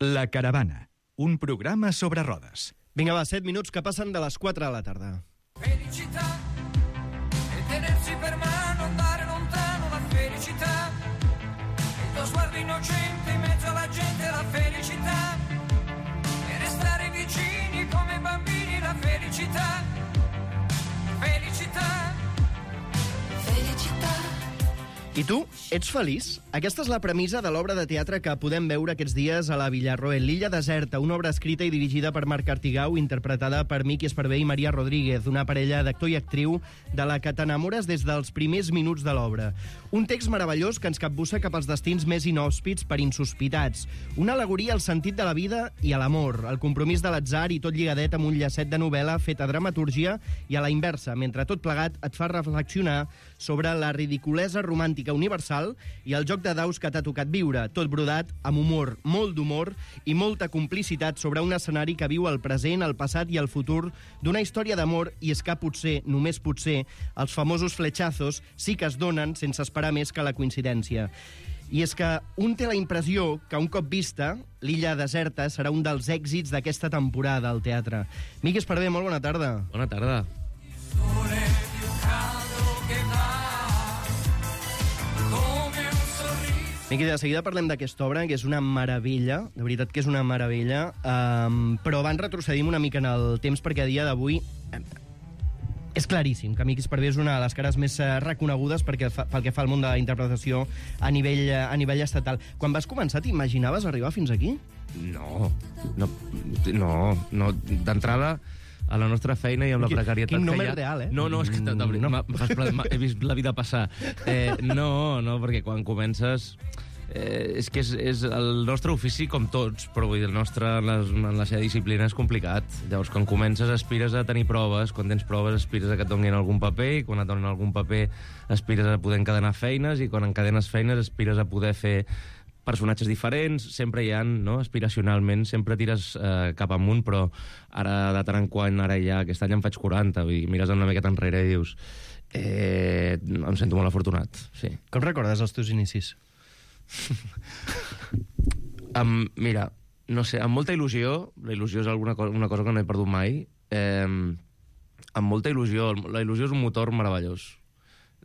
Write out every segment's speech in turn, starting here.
La Caravana, un programa sobre rodes. Vinga, va, 7 minuts que passen de les 4 de la tarda. Felicità e tenersi per mano, andare lontano, la felicità, il tuo sguardo innocente in mezzo alla gente, la felicità, e restare vicini come bambini, la felicità, felicità, felicità. I tu, ets feliç? Aquesta és la premissa de l'obra de teatre que podem veure aquests dies a la Villarroel, L'illa deserta, una obra escrita i dirigida per Marc Artigau, interpretada per Miqui Esparvé i Maria Rodríguez, una parella d'actor i actriu de la que t'enamores des dels primers minuts de l'obra. Un text meravellós que ens capbussa cap als destins més inhòspits per insospitats. Una al·legoria al sentit de la vida i a l'amor, el compromís de l'atzar i tot lligadet amb un llacet de novel·la fet a dramatúrgia i a la inversa, mentre tot plegat et fa reflexionar sobre la ridiculesa romàntica universal i el joc de daus que t'ha tocat viure, tot brodat amb humor, molt d'humor i molta complicitat sobre un escenari que viu el present, el passat i el futur d'una història d'amor, i és que potser, només potser, els famosos flechazos sí que es donen sense esperar més que la coincidència. I és que un té la impressió que un cop vista, L'illa deserta serà un dels èxits d'aquesta temporada al teatre. Miqui Esparvé, molt bona tarda. Bona tarda. Miqui, de seguida parlem d'aquesta obra, que és una meravella, de veritat que és una meravella, però abans retrocedim una mica en el temps, perquè a dia d'avui és claríssim que Miqui Esparvé és una de les cares més reconegudes pel que fa al món de la interpretació a nivell estatal. Quan vas començar, t'imaginaves arribar fins aquí? No. D'entrada, a la nostra feina i amb la precarietat quin que nom hi ha... és real, eh? No, és que he vist la vida passar. No, perquè quan comences... És que és el nostre ofici com tots, però vull dir, el nostre en la seva disciplina és complicat. Llavors, quan comences aspires a tenir proves, quan tens proves aspires a que et donin algun paper, i quan et donen algun paper aspires a poder encadenar feines, i quan encadenes feines aspires a poder fer personatges diferents, sempre hi ha, no? Aspiracionalment, sempre tires cap amunt, però ara de tant en quant, ara ja, aquest any en faig 40, vull dir, mires una miqueta enrere i dius em sento molt afortunat, sí. Com recordes els teus inicis? Mira, no sé, amb molta il·lusió, la il·lusió és una cosa que no he perdut mai, amb molta il·lusió, la il·lusió és un motor meravellós.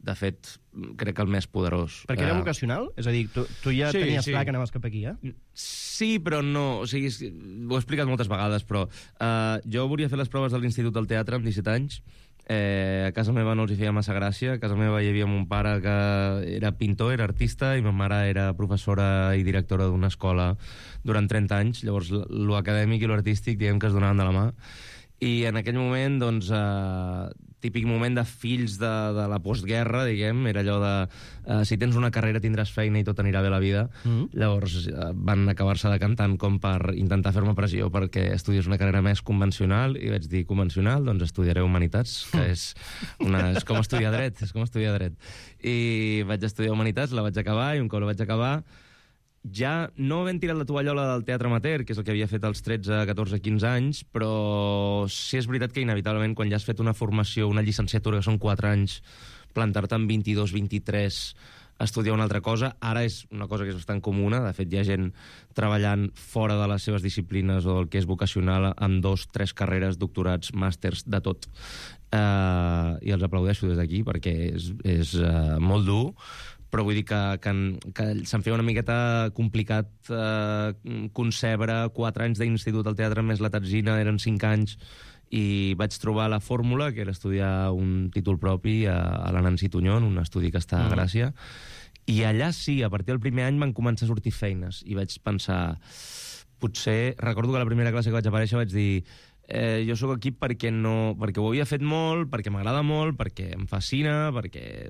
De fet, crec que el més poderós. Perquè era vocacional? És a dir, tu ja tenies clar que anaves cap aquí, eh? Sí, però no. O sigui, ho he explicat moltes vegades, però jo volia fer les proves de l'Institut del Teatre amb 17 anys. A casa meva no els hi feia massa gràcia. A casa meva hi havia mon pare que era pintor, era artista, i ma mare era professora i directora d'una escola durant 30 anys. Llavors, lo acadèmic i lo artístic, diguem que es donaven de la mà. I en aquell moment, doncs, típic moment de fills de la postguerra, diguem, era allò de si tens una carrera tindràs feina i tot anirà bé la vida. Llavors van acabar-se decantant com per intentar fer-me pressió perquè estudies una carrera més convencional, i vaig dir, convencional? Doncs estudiaré Humanitats, que és com estudiar dret, I vaig estudiar Humanitats, la vaig acabar, i un cop la vaig acabar, ja no havent tirat la tovallola del teatre amateur, que és el que havia fet als 13, 14, 15 anys, però sí és veritat que inevitablement quan ja has fet una formació, una llicenciatura, que són 4 anys, plantar-te amb 22, 23, estudiar una altra cosa, ara és una cosa que és bastant comuna. De fet, hi ha gent treballant fora de les seves disciplines o el que és vocacional amb 2, 3 carreres, doctorats, màsters, de tot. I els aplaudeixo des d'aquí perquè és molt dur, però vull dir que se'm feia una miqueta complicat concebre 4 anys d'institut al teatre més la tatzina, eren 5 anys, i vaig trobar la fórmula, que era estudiar un títol propi a la Nancy Tuñón, un estudi que està a Gràcia, i allà sí, a partir del primer any van començar a sortir feines, i vaig pensar, potser, recordo que la primera classe que vaig aparèixer vaig dir, jo sóc aquí perquè ho havia fet molt, perquè m'agrada molt, perquè em fascina, perquè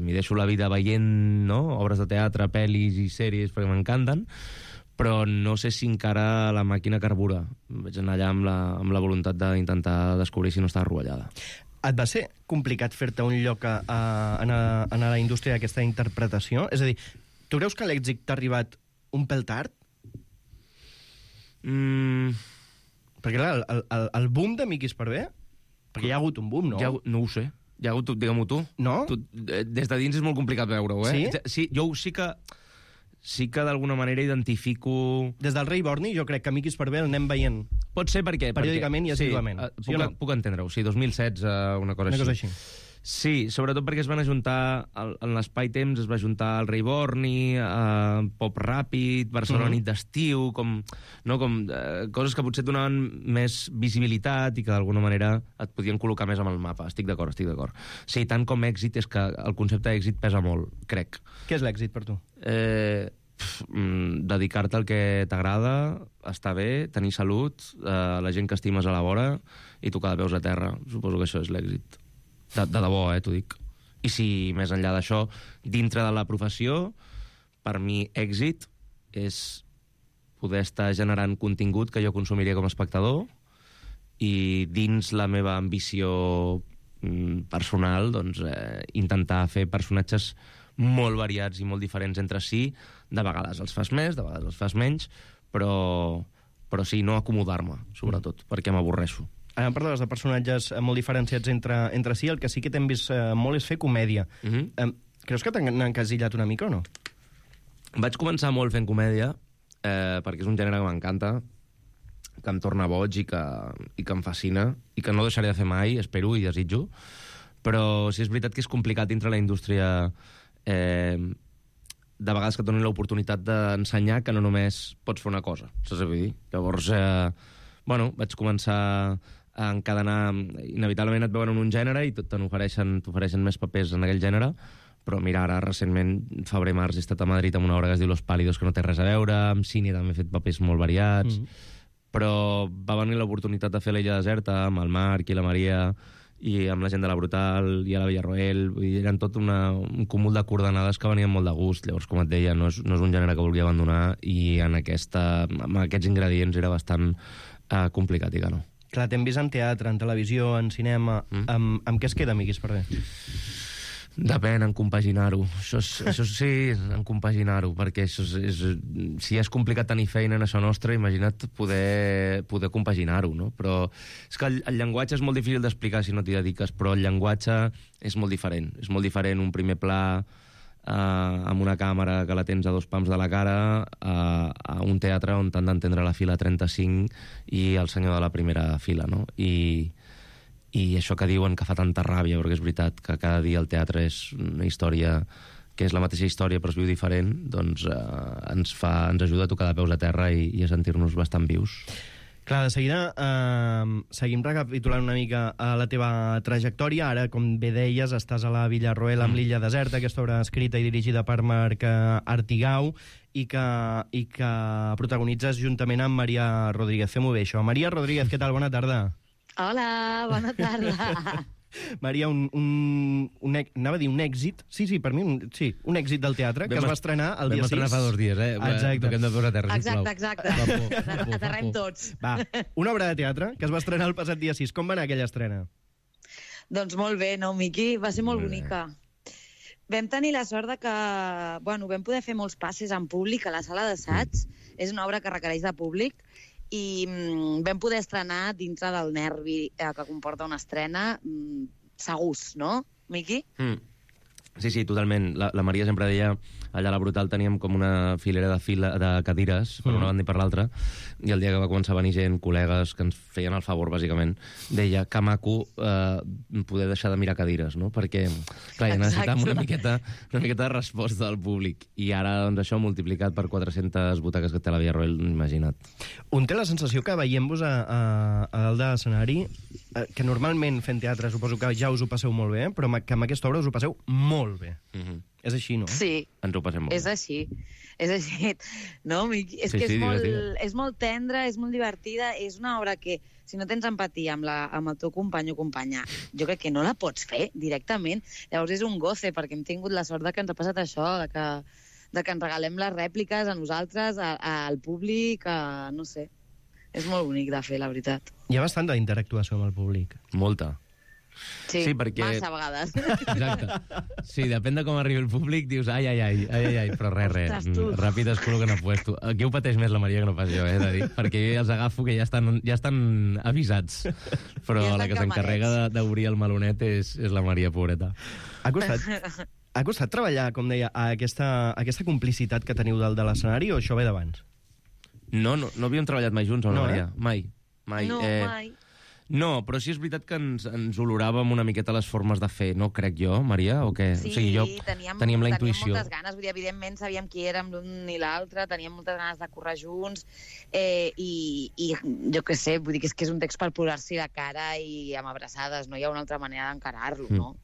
m'hi deixo la vida veient, no? Obres de teatre, pel·lis i sèries, perquè m'encanten, però no sé si encara la màquina carbura. Vaig anar allà amb la voluntat d'intentar descobrir si no estava rovellada. Et va ser complicat fer-te un lloc en la indústria d'aquesta interpretació? És a dir, tu creus que l'èxit t'ha arribat un pèl tard? Perquè, clar, el boom de Miqui Esparvé, perquè hi ha hagut un boom, no? No ho sé. Hi ha hagut, digue-m'ho tu. No? Des de dins és molt complicat veure-ho, eh? Sí? Sí, jo sí que... sí que d'alguna manera identifico... Des del rei Borni, jo crec que Miqui Esparvé el anem veient Pot ser perquè... periòdicament i assíduament. Sí, puc entendre-ho. Sí, 2016, una cosa una així. cosa així. Sí, sobretot perquè es van ajuntar, en l'espai temps es va ajuntar el Rei Borni, Pop Ràpid, Barcelona nit d'estiu, coses que potser et donaven més visibilitat i que d'alguna manera et podien col·locar més amb el mapa. Estic d'acord. Sí, tant com èxit, és que el concepte d'èxit pesa molt, crec. Què és l'èxit per tu? Dedicar-te al que t'agrada, estar bé, tenir salut, la gent que estimes a la vora i tocar de peus a terra. Suposo que això és l'èxit. De debò, t'ho dic. I si més enllà d'això, dintre de la professió, per mi èxit és poder estar generant contingut que jo consumiria com a espectador i dins la meva ambició personal, doncs, intentar fer personatges molt variats i molt diferents entre si. De vegades els fas més, de vegades els fas menys, però sí, no acomodar-me, sobretot, perquè m'avorreixo. Ara parlaves de personatges molt diferenciats entre si, el que sí que t'hem vist molt és fer comèdia. Creus que t'han encasillat una mica o no? Vaig començar molt fent comèdia, perquè és un gènere que m'encanta, que em torna boig i que em fascina, i que no deixaré de fer mai, espero i desitjo. Però sí és veritat que és complicat dintre la indústria de vegades que et donin l'oportunitat d'ensenyar que no només pots fer una cosa, saps què vull dir? Llavors, vaig començar a encadenar... Inevitablement et veuen en un gènere i t'ofereixen més papers en aquell gènere, però mira, ara recentment, febrer-març, he estat a Madrid amb una obra que es diu Los Pálidos, que no té res a veure, amb cine també he fet papers molt variats, però va venir l'oportunitat de fer l'Illa Deserta amb el Marc i la Maria i amb la gent de la Brutal i a la Villarroel, i eren tot un cúmul de coordenades que venien molt de gust. Llavors, com et deia, no és un gènere que volia abandonar i amb aquests ingredients era bastant complicat, i que no. Clar, t'hem vist en teatre, en televisió, en cinema. Amb què es queda, Miqui Esparvé? Depèn, en compaginar-ho. Això sí, en compaginar-ho, perquè si és complicat tenir feina en això nostre, imagina't poder compaginar-ho, no? Però és que el llenguatge és molt difícil d'explicar si no t'hi dediques, però el llenguatge és molt diferent. És molt diferent un primer pla amb una càmera que la tens a 2 pams de la cara a un teatre on t'han d'entendre la fila 35 i el senyor de la primera fila, no? I això que diuen que fa tanta ràbia, perquè és veritat que cada dia el teatre és una història que és la mateixa història però es viu diferent, doncs ens ajuda a tocar de peus a terra i a sentir-nos bastant vius. Clar, de seguida seguim recapitulant una mica la teva trajectòria. Ara, com bé deies, estàs a la Villarroel amb l'Illa Deserta, aquesta obra escrita i dirigida per Marc Artigau i que protagonitzes juntament amb Maria Rodríguez. Fem-ho bé, això. Maria Rodríguez, què tal? Bona tarda. Hola, bona tarda. Maria, anava a dir un èxit. Sí, per mi, un èxit del teatre, que es va estrenar el dia 6. Vam estrenar fa 2 dies, Exacte. Toquem de peus a terra, sisplau. Exacte. Aterrem tots. Va, una obra de teatre que es va estrenar el passat dia 6. Com va anar aquella estrena? Doncs molt bé, no, Miqui? Va ser molt bonica. Vam tenir la sort de que vam poder fer molts passes en públic a la sala d'assaig. És una obra que requereix de públic i vam poder estrenar dintre del nervi que comporta una estrena segurs, no, Miqui? Sí, totalment. La Maria sempre deia, allà a la Brutal teníem com una filera de cadires, per una banda i per l'altra, i el dia que va començar a venir gent, col·legues, que ens feien el favor, bàsicament, deia que maco poder deixar de mirar cadires, no? Perquè, clar, necessitàvem una miqueta de resposta del públic. I ara, doncs, això multiplicat per 400 butaques que té la Villarroel, imagina't. Un té la sensació que veient-vos a dalt de l'escenari, que normalment fent teatre suposo que ja us ho passeu molt bé, però que amb aquesta obra us ho passeu molt bé. És així, no? Sí. Ens ho passem molt bé. És així. No, Miqui? És que és molt tendra, és molt divertida, és una obra que, si no tens empatia amb el teu company o companya, jo crec que no la pots fer directament. Llavors és un goce, perquè hem tingut la sort de que ens ha passat això, de que ens regalem les rèpliques a nosaltres, al públic, no sé. És molt bonic de fer, la veritat. Hi ha bastanta interactuació amb el públic. Molta. Sí, perquè... massa vegades. Exacte. Sí, depèn de com arribi el públic, dius ai, però res. Ràpid es col·loquen a puesto. Aquí ho pateix més la Maria que no pas jo, de dir, perquè jo ja els agafo que ja estan avisats. Però la que s'encarrega d'obrir el melonet és la Maria, pobreta. Ha Ha costat treballar, com deia, a aquesta complicitat que teniu de l'escenari, o això ve d'abans? No havíem treballat mai junts, No, Maria. Mai. No, mai. No, però sí és veritat que ens oloràvem una miqueta les formes de fer, no crec jo, Maria, o què? Sí, o sigui, teníem la intuïció. Teníem moltes ganes, vull dir, evidentment sabíem qui érem l'un i l'altre, teníem moltes ganes de currar junts, i jo què sé, vull dir que és un text per posar-s'hi de cara i amb abraçades, no hi ha una altra manera d'encarar-lo, no?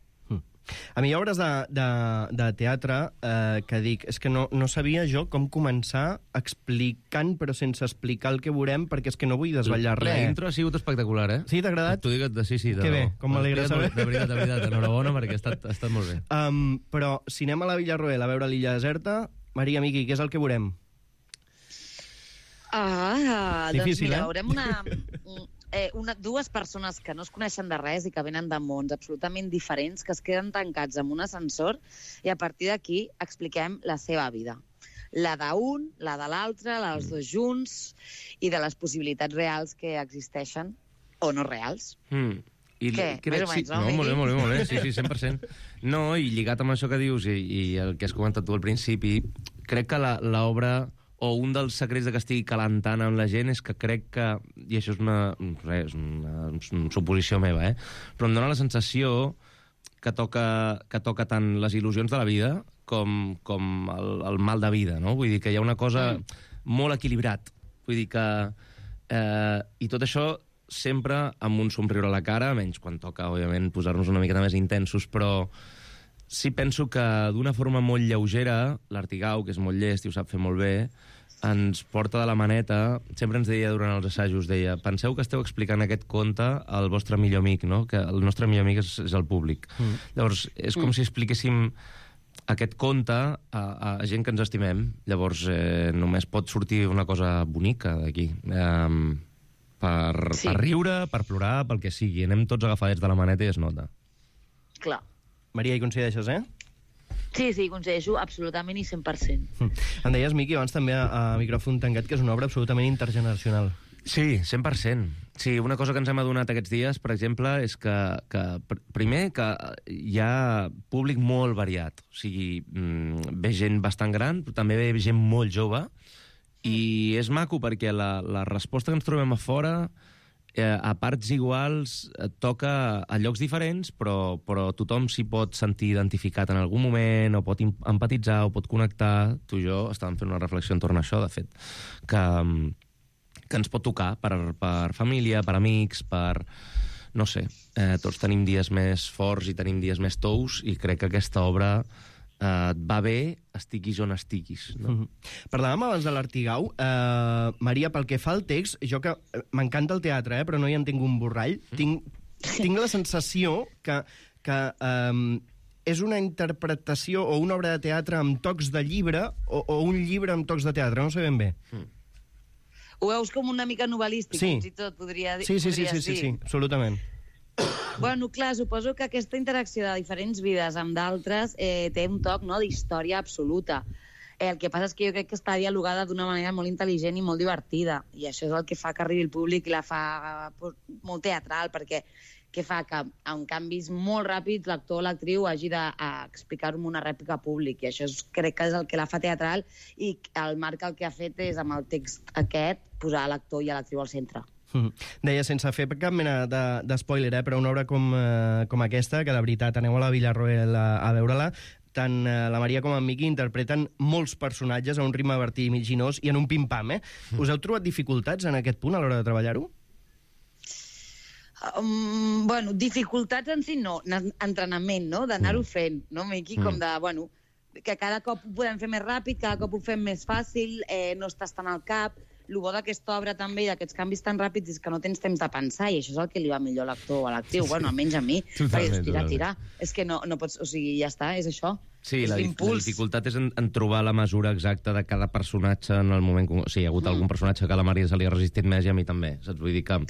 A mi hi ha obres de teatre que dic, és que no sabia jo com començar explicant, però sense explicar el que veurem, perquè és que no vull desvetllar res. La intro ha sigut espectacular, eh? Sí, t'ha agradat? T'ho dic, sí. Que bé, com m'alegra saber. De veritat, enhorabona, perquè ha estat molt bé. Però si anem a la Villarroel a veure l'illa deserta, Maria, Miqui, què és el que veurem? Difícil, doncs mira, eh? veurem dues persones que no es coneixen de res i que venen de mons absolutament diferents, que es queden tancats en un ascensor i a partir d'aquí expliquem la seva vida. La d'un, la de l'altre, la dels dos junts i de les possibilitats reals que existeixen o no reals. Què? Més o menys, no? Molt bé, sí, 100%. No, i lligat amb això que dius i el que has comentat tu al principi, crec que l'obra, o un dels secrets de que estigui calentant amb la gent és que crec que, i això és una suposició meva, però em dóna la sensació que toca tant les il·lusions de la vida com el mal de vida, no? Vull dir que hi ha una cosa molt equilibrat. Vull dir que... I tot això sempre amb un somriure a la cara, menys quan toca, òbviament, posar-nos una miqueta més intensos, però sí penso que d'una forma molt lleugera, l'Artigau, que és molt llest i ho sap fer molt bé, ens porta de la maneta, sempre ens deia durant els assajos, deia, penseu que esteu explicant aquest conte al vostre millor amic, no? Que el nostre millor amic és el públic. Llavors, és com si expliquéssim aquest conte a gent que ens estimem. Llavors, només pot sortir una cosa bonica d'aquí. Per riure, per plorar, pel que sigui. Anem tots agafadets de la maneta i es nota. Clar. Maria, hi coincideixes, Sí, coincideixo absolutament i 100%. Em deies, Miqui, abans també a micròfon tancat, que és una obra absolutament intergeneracional. Sí, 100%. Sí, una cosa que ens hem adonat aquests dies, per exemple, és que primer, que hi ha públic molt variat. O sigui, ve gent bastant gran, però també ve gent molt jove, i és maco perquè la resposta que ens trobem a fora, a parts iguals, toca a llocs diferents, però tothom s'hi pot sentir identificat en algun moment, o pot empatitzar, o pot connectar. Tu i jo estàvem fent una reflexió entorn a això, de fet, que ens pot tocar per família, per amics, per... No sé, tots tenim dies més forts i tenim dies més tous, i crec que aquesta obra et va bé, estiguis on estiguis. No? Parlàvem abans de l'Artigau. Maria, pel que fa al text, jo que m'encanta el teatre, però no hi entenc un borrall, tinc la sensació que és una interpretació o una obra de teatre amb tocs de llibre o un llibre amb tocs de teatre, no sé ben bé. Ho veus com una mica novel·lístic, fins i tot, podria dir. Sí, absolutament. Bueno, clar, suposo que aquesta interacció de diferents vides amb d'altres té un toc, no?, d'història absoluta. El que passa és que jo crec que està dialogada d'una manera molt intel·ligent i molt divertida, i això és el que fa que arribi el públic i la fa molt teatral, perquè què fa? Que amb canvis molt ràpids l'actor o l'actriu hagi d'explicar-ho amb una rèplica públic, i això crec que és el que la fa teatral, i el Marc el que ha fet és, amb el text aquest, posar l'actor i l'actriu al centre. Deia, sense fer cap mena d'espoiler, però una obra com aquesta, que de veritat aneu a la Villarroel a veure-la, tant la Maria com en Miqui interpreten molts personatges a un ritme vertiginós i en un pim-pam, Us heu trobat dificultats en aquest punt a l'hora de treballar-ho? Bueno, dificultats en si no, entrenament, no?, d'anar-ho fent, no, Miqui? Com de, bueno, que cada cop ho podem fer més ràpid, cada cop ho fem més fàcil, no estàs tant al cap. El bo d'aquesta obra també i d'aquests canvis tan ràpids és que no tens temps de pensar, i això és el que li va millor a l'actor o a l'actriu, bueno, almenys a mi, perquè tira. És que no pots, o sigui, ja està, és això. Sí, la dificultat és en trobar la mesura exacta de cada personatge en el moment... O sigui, hi ha hagut algun personatge que a la Maria se li ha resistit més i a mi també, saps? Vull dir que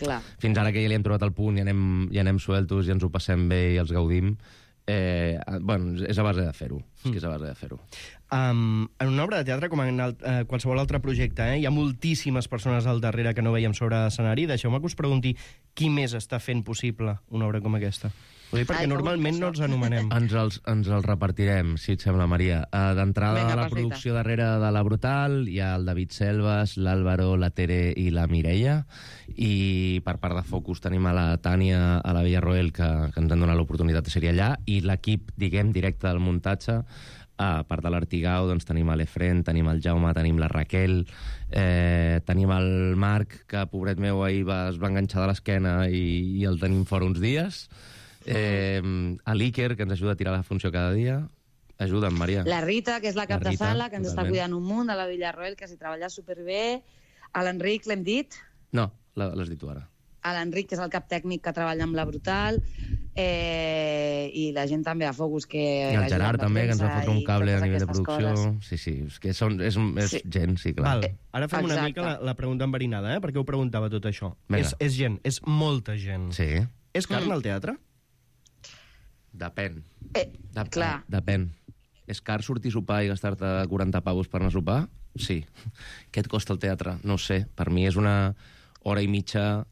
fins ara que ja li hem trobat el punt i anem sueltos i ens ho passem bé i els gaudim, bueno, és a base de fer-ho. És a base de fer-ho. En una obra de teatre, com en qualsevol altre projecte, hi ha moltíssimes persones al darrere que no veiem sobre l'escenari. Deixeu-me que us pregunti qui més està fent possible una obra com aquesta. Ho dic perquè normalment no els anomenem. Ens els repartirem, si et sembla, Maria. D'entrada, Vinga, a la perfecte. producció darrere de La Brutal hi ha el David Selves, l'Àlvaro, la Tere i la Mireia, i per part de Focus tenim a la Tània, a la Villarroel, que ens han donat l'oportunitat de ser allà, i l'equip, diguem, directe del muntatge. A part de l'Artigau, doncs tenim l'Efren, tenim el Jaume, tenim la Raquel, tenim el Marc, que, pobret meu, ahir es va enganxar de l'esquena i el tenim fora uns dies. L'Iker, que ens ajuda a tirar la funció cada dia. Ajuda'm, Maria. La Rita, que és la cap La de Rita, sala, que ens està totalment. cuidant un munt, de la Villarroel, que s'hi treballa superbé. A l'Enric, l'hem dit? No, l'has dit tu ara. A l'Enric, que és el cap tècnic que treballa amb La Brutal, i la gent també a Focus, que... I el Gerard també, que ens va fotre un cable a nivell de totes producció. aquestes Sí, sí, és que és Sí. gent, sí, clar. Val. Ara fem una Exacte. mica la pregunta enverinada, perquè ho preguntava tot això. Vinga. És gent, és molta gent. Sí, És carn al teatre? depèn. clar. Depèn. És car sortir a sopar i gastar-te 40 pavos per anar a sopar? Sí. Què et costa el teatre? No ho sé. Per mi és una hora i mitja...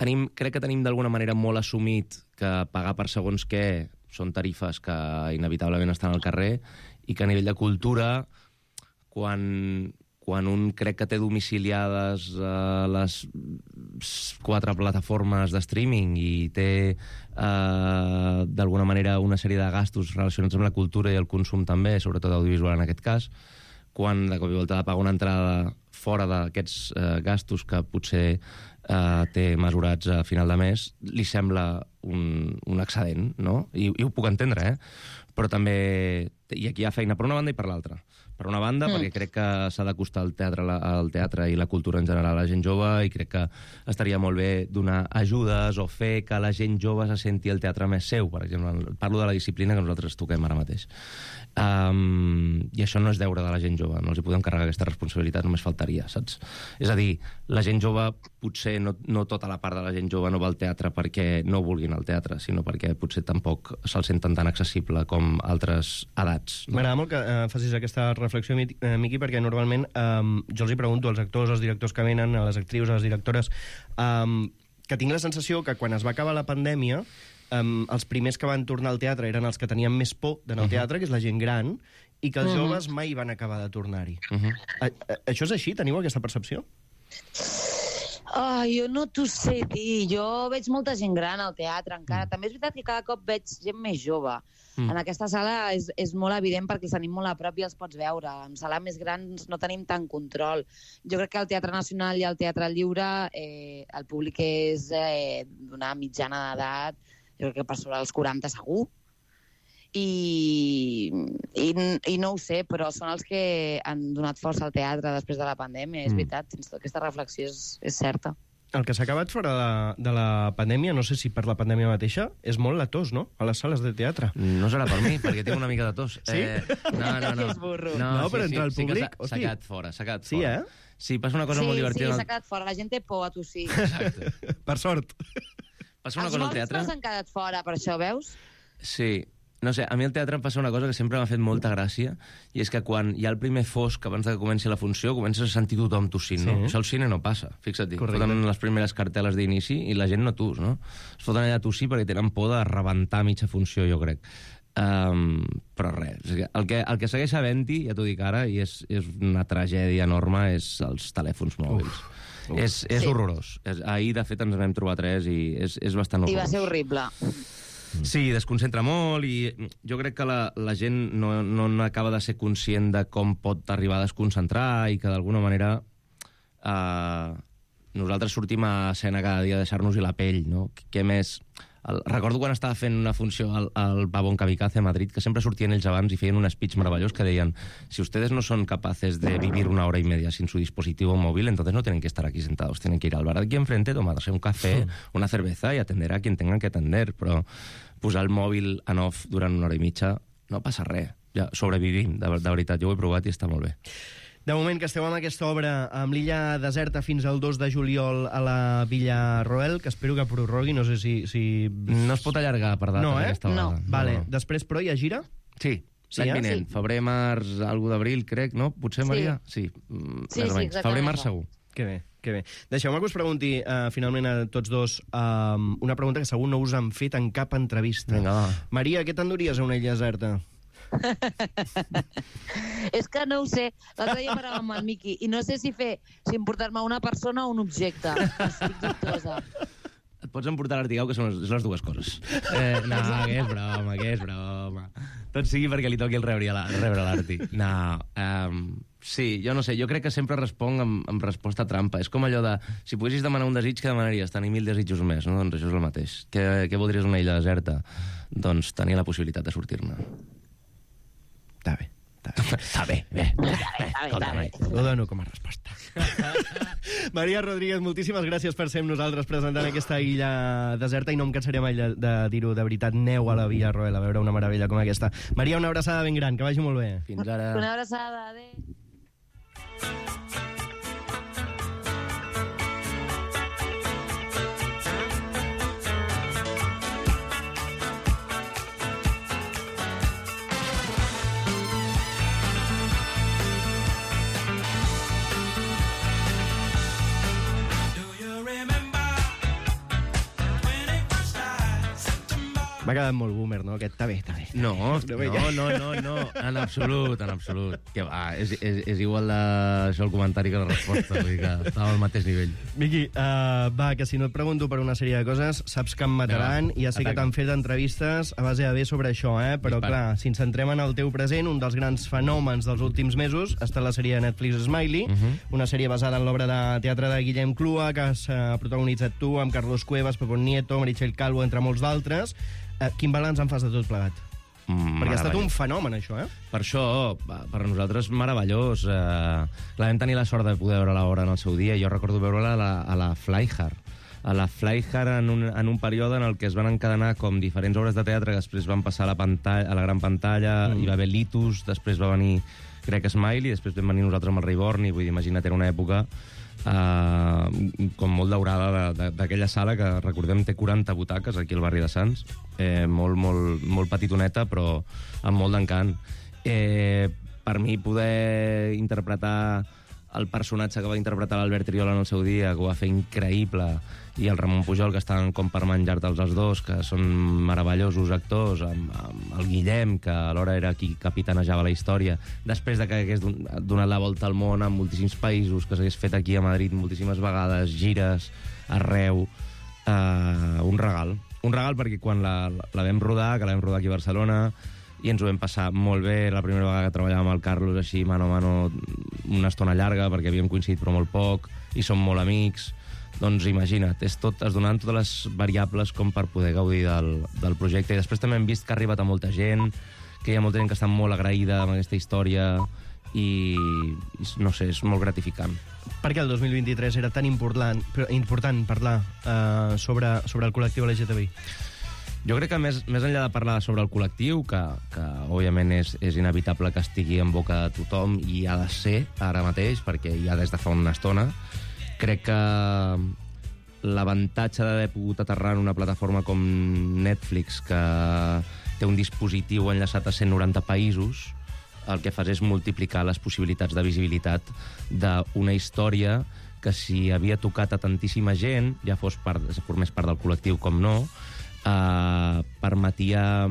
Crec que tenim d'alguna manera molt assumit que pagar per segons què són tarifes que inevitablement estan al carrer i que a nivell de cultura, quan un crec que té domiciliades les 4 plataformes de streaming i té d'alguna manera una sèrie de gastos relacionats amb la cultura i el consum també, sobretot audiovisual en aquest cas, quan de cop i volta ha de pagar una entrada fora d'aquests gastos que potser té mesurats a final de mes, li sembla un excedent, no? I ho puc entendre, però també... I aquí hi ha feina per una banda i per l'altra. Per una banda, perquè crec que s'ha d'acostar al teatre i la cultura en general a la gent jove, i crec que estaria molt bé donar ajudes o fer que la gent jove se senti el teatre més seu, per exemple. Parlo de la disciplina que nosaltres toquem ara mateix. I això no és deure de la gent jove, no els hi podem carregar aquesta responsabilitat, només faltaria, saps? És a dir, la gent jove, potser no tota la part de la gent jove no va al teatre perquè no vulguin al teatre, sinó perquè potser tampoc se'l senten tan accessible com altres edats. No? M'agrada molt que facis aquesta reflexió, Miqui, perquè normalment jo els hi pregunto als actors, als directors que venen, a les actrius, a les directores, que tinc la sensació que quan es va acabar la pandèmia els primers que van tornar al teatre eren els que tenien més por d'anar al teatre, que és la gent gran, i que els joves mai van acabar de tornar-hi. Això és així? Teniu aquesta percepció? Jo no t'ho sé dir. Jo veig molta gent gran al teatre encara. També és veritat que cada cop veig gent més jove. En aquesta sala és molt evident perquè els tenim molt a prop i els pots veure. En sala més grans no tenim tant control. Jo crec que al Teatre Nacional i al Teatre Lliure el públic és d'una mitjana d'edat, jo crec que per sobre els 40 segur. I no ho sé, però són els que han donat força al teatre després de la pandèmia. És veritat, aquesta reflexió és certa. El que s'ha acabat fora de la pandèmia, no sé si per la pandèmia mateixa, és molt la tos, no?, a les sales de teatre. No serà per mi, perquè tinc una mica de tos. Sí? No. Que és burro. No, però entre el públic, S'ha hosti. quedat fora, s'ha quedat Sí, fora. Sí, passa una cosa molt divertida. Sí, s'ha quedat fora. La gent té por a tossir. Exacte. Per sort. Passa una Els cosa al morts teatre... no s'han quedat fora, per això, veus? Sí. No sé, a mi al teatre em passa una cosa que sempre m'ha fet molta gràcia, i és que quan hi ha el primer fosc abans de que comenci la funció, comences a sentir tothom tossint, no? Sí. Això al cine no passa, fixa't. Correcte. Foten les primeres cartel·les d'inici i la gent no tus, no? Es foten allà a tossir perquè tenen por de rebentar mitja funció, jo crec. Però res, el que segueix havent-hi, ja t'ho dic ara, i és una tragèdia enorme, és els telèfons mòbils. És horrorós. Ahir, de fet, ens vam trobar 3 i és bastant horrorós. I va ser horrible. Sí, desconcentra molt, i jo crec que la gent no acaba de ser conscient de com pot arribar a desconcentrar i que d'alguna manera nosaltres sortim a escena cada dia a deixar-nos-hi la pell, no? Què més... Recordo quan estava fent una funció al Pavón Kamikaze a Madrid, que sempre sortien ells abans i feien un speech meravellós que deien: si ustedes no son capaces de vivir una hora y media sin su dispositivo móvil, entonces no tienen que estar aquí sentados, tienen que ir al bar aquí enfrente, tomarse un café, una cerveza y atender a quien tengan que atender. Però posar el mòbil en off durant una hora i mitja no passa res. Ja sobrevivim, de veritat. Jo ho he provat i està molt bé. De moment que esteu amb aquesta obra amb l'illa deserta fins al 2 de juliol a la Villarroel, que espero que prorrogui, no sé si... No es pot allargar per data aquesta vegada. No. Vale. No. Després, però, hi ha gira? Sí, l'any vinent. Sí. Febrer, març, algú d'abril, crec, no? Potser, Maria? Sí. Sí, Més o menys. exactament Febrer, març, això. segur. Que bé. Que bé. Deixeu-me que us pregunti, finalment, a tots dos, una pregunta que segur no us han fet en cap entrevista. Vinga, va. Maria, què t'enduries a una illa deserta? És que no ho sé. L'altre dia parlàvem amb el Miqui i no sé si emportar-me una persona o un objecte. Estic dubtosa. Et pots emportar l'Artigau, que són les dues coses. No, que és broma. Tot sigui perquè li toqui el rebre l'Arti. No, sí, jo no sé, jo crec que sempre responc amb resposta trampa. És com allò de, si poguessis demanar un desig, què demanaries? Tenir 1000 desitjos més, no? Doncs això és el mateix. Què voldries una illa deserta? Doncs tenir la possibilitat de sortir-ne. Està bé. Bé. Ho dono com a resposta. Maria Rodríguez, moltíssimes gràcies per ser amb nosaltres presentant aquesta illa deserta, i no em cansaré mai de dir-ho, de veritat, neu a la Villarroel, a veure una meravella com aquesta. Maria, una abraçada ben gran, que vagi molt bé. Fins ara. Una abraçada, adéu. M'ha quedat molt boomer, no? Aquest està bé. No, en absolut. Que va, és igual això el comentari que la resposta, vull dir que estava al mateix nivell. Miqui, va, que si no et pregunto per una sèrie de coses, saps que em mataran, i ja sé que t'han fet entrevistes a base de bé sobre això, però clar, si ens centrem en el teu present, un dels grans fenòmens dels últims mesos ha estat la sèrie de Netflix Smiley, una sèrie basada en l'obra de teatre de Guillem Clua, que has protagonitzat tu amb Carlos Cuevas, Pepón Nieto, Meritxell Calvo, entre molts d'altres. Quin balanç en fas de tot plegat? Perquè ha estat un fenomen, això, Per això, per nosaltres, meravellós. Vam tenir la sort de poder veure l'obra en el seu dia. Jo recordo veure-la a la Flyhard. A la Flyhard en un període en el que es van encadenar com diferents obres de teatre que després van passar a la gran pantalla, hi va haver Litus, després va venir, crec, Smiley, després vam venir nosaltres amb el Rei Borni, vull dir, imagina't, era una època com molt daurada d'aquella sala que, recordem, té 40 butaques aquí al barri de Sants, molt petitoneta però amb molt d'encant. Per mi poder interpretar el personatge que va interpretar l'Albert Triola en el seu dia, que ho va fer increïble, i el Ramon Pujol, que estan com per menjar-te'ls els dos, que són meravellosos actors, amb el Guillem, que alhora era qui capitanejava la història, després de que hagués donat la volta al món en moltíssims països, que s'hagués fet aquí a Madrid moltíssimes vegades, gires arreu, un regal perquè quan la vam rodar, que la vam rodar aquí a Barcelona, i ens ho vam passar molt bé, la primera vegada que treballàvem amb el Carlos així mano a mano una estona llarga, perquè havíem coincidit però molt poc, i som molt amics. Doncs imagina't, es donaven totes les variables com per poder gaudir del projecte. I després també hem vist que ha arribat a molta gent, que hi ha molta gent que està molt agraïda amb aquesta història, i no sé, és molt gratificant. Per què el 2023 era tan important parlar sobre el col·lectiu LGTBI? Jo crec que més enllà de parlar sobre el col·lectiu, que òbviament és inevitable que estigui en boca de tothom, i ha de ser ara mateix, perquè ja des de fa una estona, crec que l'avantatge d'haver pogut aterrar en una plataforma com Netflix, que té un dispositiu enllaçat a 190 països, el que fas és multiplicar les possibilitats de visibilitat d'una història que, si havia tocat a tantíssima gent, ja formés part del col·lectiu com no, permetia,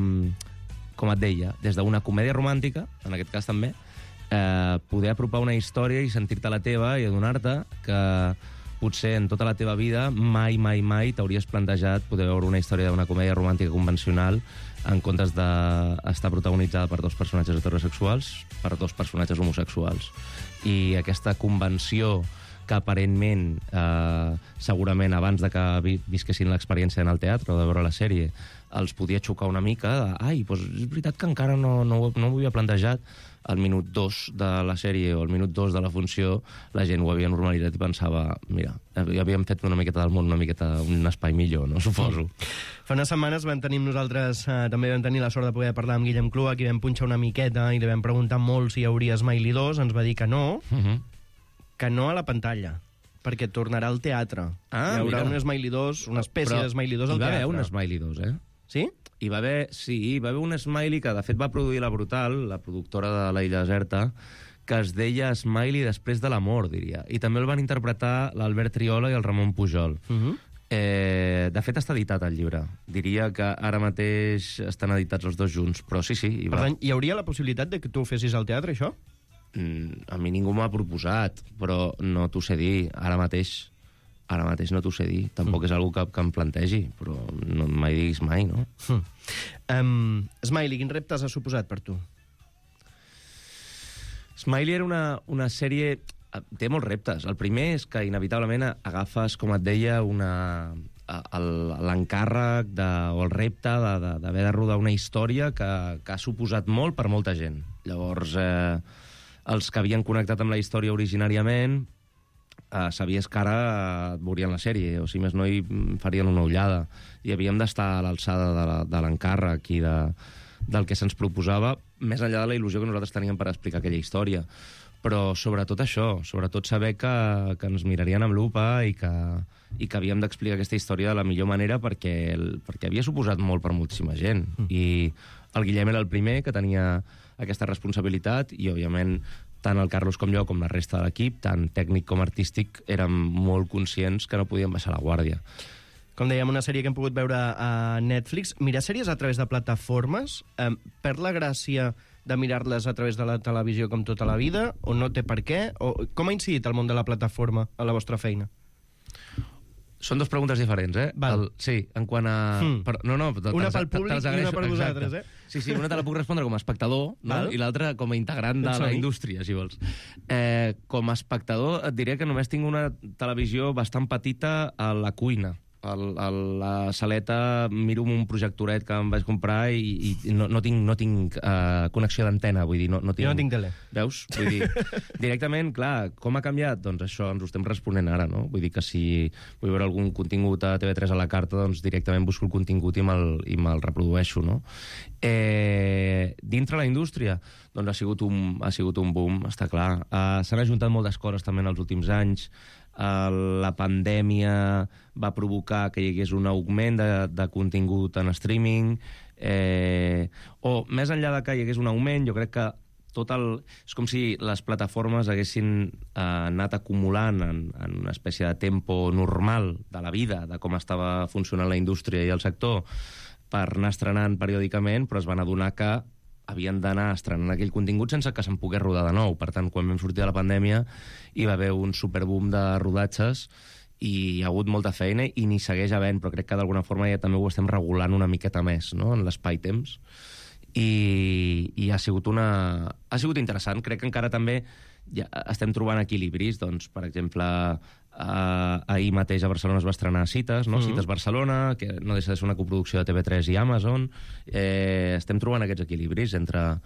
com et deia, des d'una comèdia romàntica, en aquest cas també, poder apropar una història i sentir-te la teva i adonar-te que potser en tota la teva vida mai t'hauries plantejat poder veure una història d'una comèdia romàntica convencional en comptes d'estar protagonitzada per dos personatges heterosexuals, per dos personatges homosexuals. I aquesta convenció que aparentment, segurament abans de que visquessin l'experiència en el teatre o de veure la sèrie, els podia xocar una mica, doncs és veritat que encara no ho havia plantejat. Al minut 2 de la sèrie o al minut 2 de la funció, la gent ho havia normalitzat i pensava, mira, havíem fet una miqueta del món, una miqueta un espai millor, no? Suposo. Fa unes setmanes nosaltres també vam tenir la sort de poder parlar amb Guillem Clua, qui vam punxar una miqueta i li vam preguntar molt si hi hauria Smiley 2, ens va dir que no, que no a la pantalla, perquè tornarà al teatre. Hi haurà un Smiley 2, una espècie de Smiley 2 al teatre. Hi va haver un Smiley 2, Sí? Hi va haver un Smiley que, de fet, va produir La Brutal, la productora de La Illa Deserta, que es deia Smiley després de l'amor, diria. I també el van interpretar l'Albert Triola i el Ramon Pujol. De fet, està editat el llibre. Diria que ara mateix estan editats els dos junts, però sí. Per tant, hi hauria la possibilitat de que tu ho fessis al teatre, això? A mi ningú m'ha proposat, però no t'ho sé dir. Ara mateix no t'ho sé dir. Tampoc és algo que em plantegi, però no mai diguis mai, no? Smiley, quins reptes ha suposat per tu? Smiley era una sèrie... Té molts reptes. El primer és que, inevitablement, agafes, com et deia, l'encàrrec o el repte d'haver de rodar una història que ha suposat molt per molta gent. Llavors, els que havien connectat amb la història originàriament sabies que ara veurien la sèrie, o si més no hi farien una ullada. I havíem d'estar a l'alçada de l'encàrrec i del que se'ns proposava, més enllà de la il·lusió que nosaltres teníem per explicar aquella història. Però sobretot això, sobretot saber que ens mirarien amb lupa i que havíem d'explicar aquesta història de la millor manera perquè havia suposat molt per moltíssima gent. I el Guillem era el primer que tenia aquesta responsabilitat i, òbviament, tant el Carlos com jo, com la resta de l'equip, tant tècnic com artístic, érem molt conscients que no podíem baixar la guàrdia. Com dèiem, una sèrie que hem pogut veure a Netflix. Mirar sèries a través de plataformes perd la gràcia de mirar-les a través de la televisió com tota la vida, o no té per què? O com ha incidit el món de la plataforma a la vostra feina? Són dues preguntes diferents, eh? Sí, en quant a... Una pel públic i una per vosaltres, eh? Sí, una te la puc respondre com a espectador, no? I l'altra com a integrant de la indústria, si vols. Com a espectador et diré que només tinc una televisió bastant petita a la cuina. A la saleta miro un projectoret que em vaig comprar i no tinc connexió d'antena, vull dir, no tinc... Jo no tinc tele. Veus? Vull dir, directament, clar, com ha canviat? Doncs això, ens ho estem responent ara, no? Vull dir que si vull veure algun contingut a TV3 a la carta, doncs directament busco el contingut i me'l reprodueixo, no? Dintre la indústria, doncs ha sigut un boom, està clar. S'han ajuntat moltes coses també en els últims anys. La pandèmia va provocar que hi hagués un augment de contingut en streaming, o més enllà de que hi hagués un augment, jo crec que és com si les plataformes haguessin anat acumulant en una espècie de tempo normal de la vida, de com estava funcionant la indústria i el sector, per anar estrenant periòdicament, però es van adonar que havien d'anar estrenant aquell contingut sense que se'n pogués rodar de nou. Per tant, quan vam sortir de la pandèmia hi va haver un superboom de rodatges i hi ha hagut molta feina i n'hi segueix havent, però crec que d'alguna forma ja també ho estem regulant una miqueta més, no?, en l'espai-temps. I ha sigut interessant. Crec que encara també ja estem trobant equilibris. Doncs, per exemple, ahir mateix a Barcelona es va estrenar Cites, no? Cites Barcelona, que no deixa de ser una coproducció de TV3 i Amazon. Estem trobant aquests equilibris entre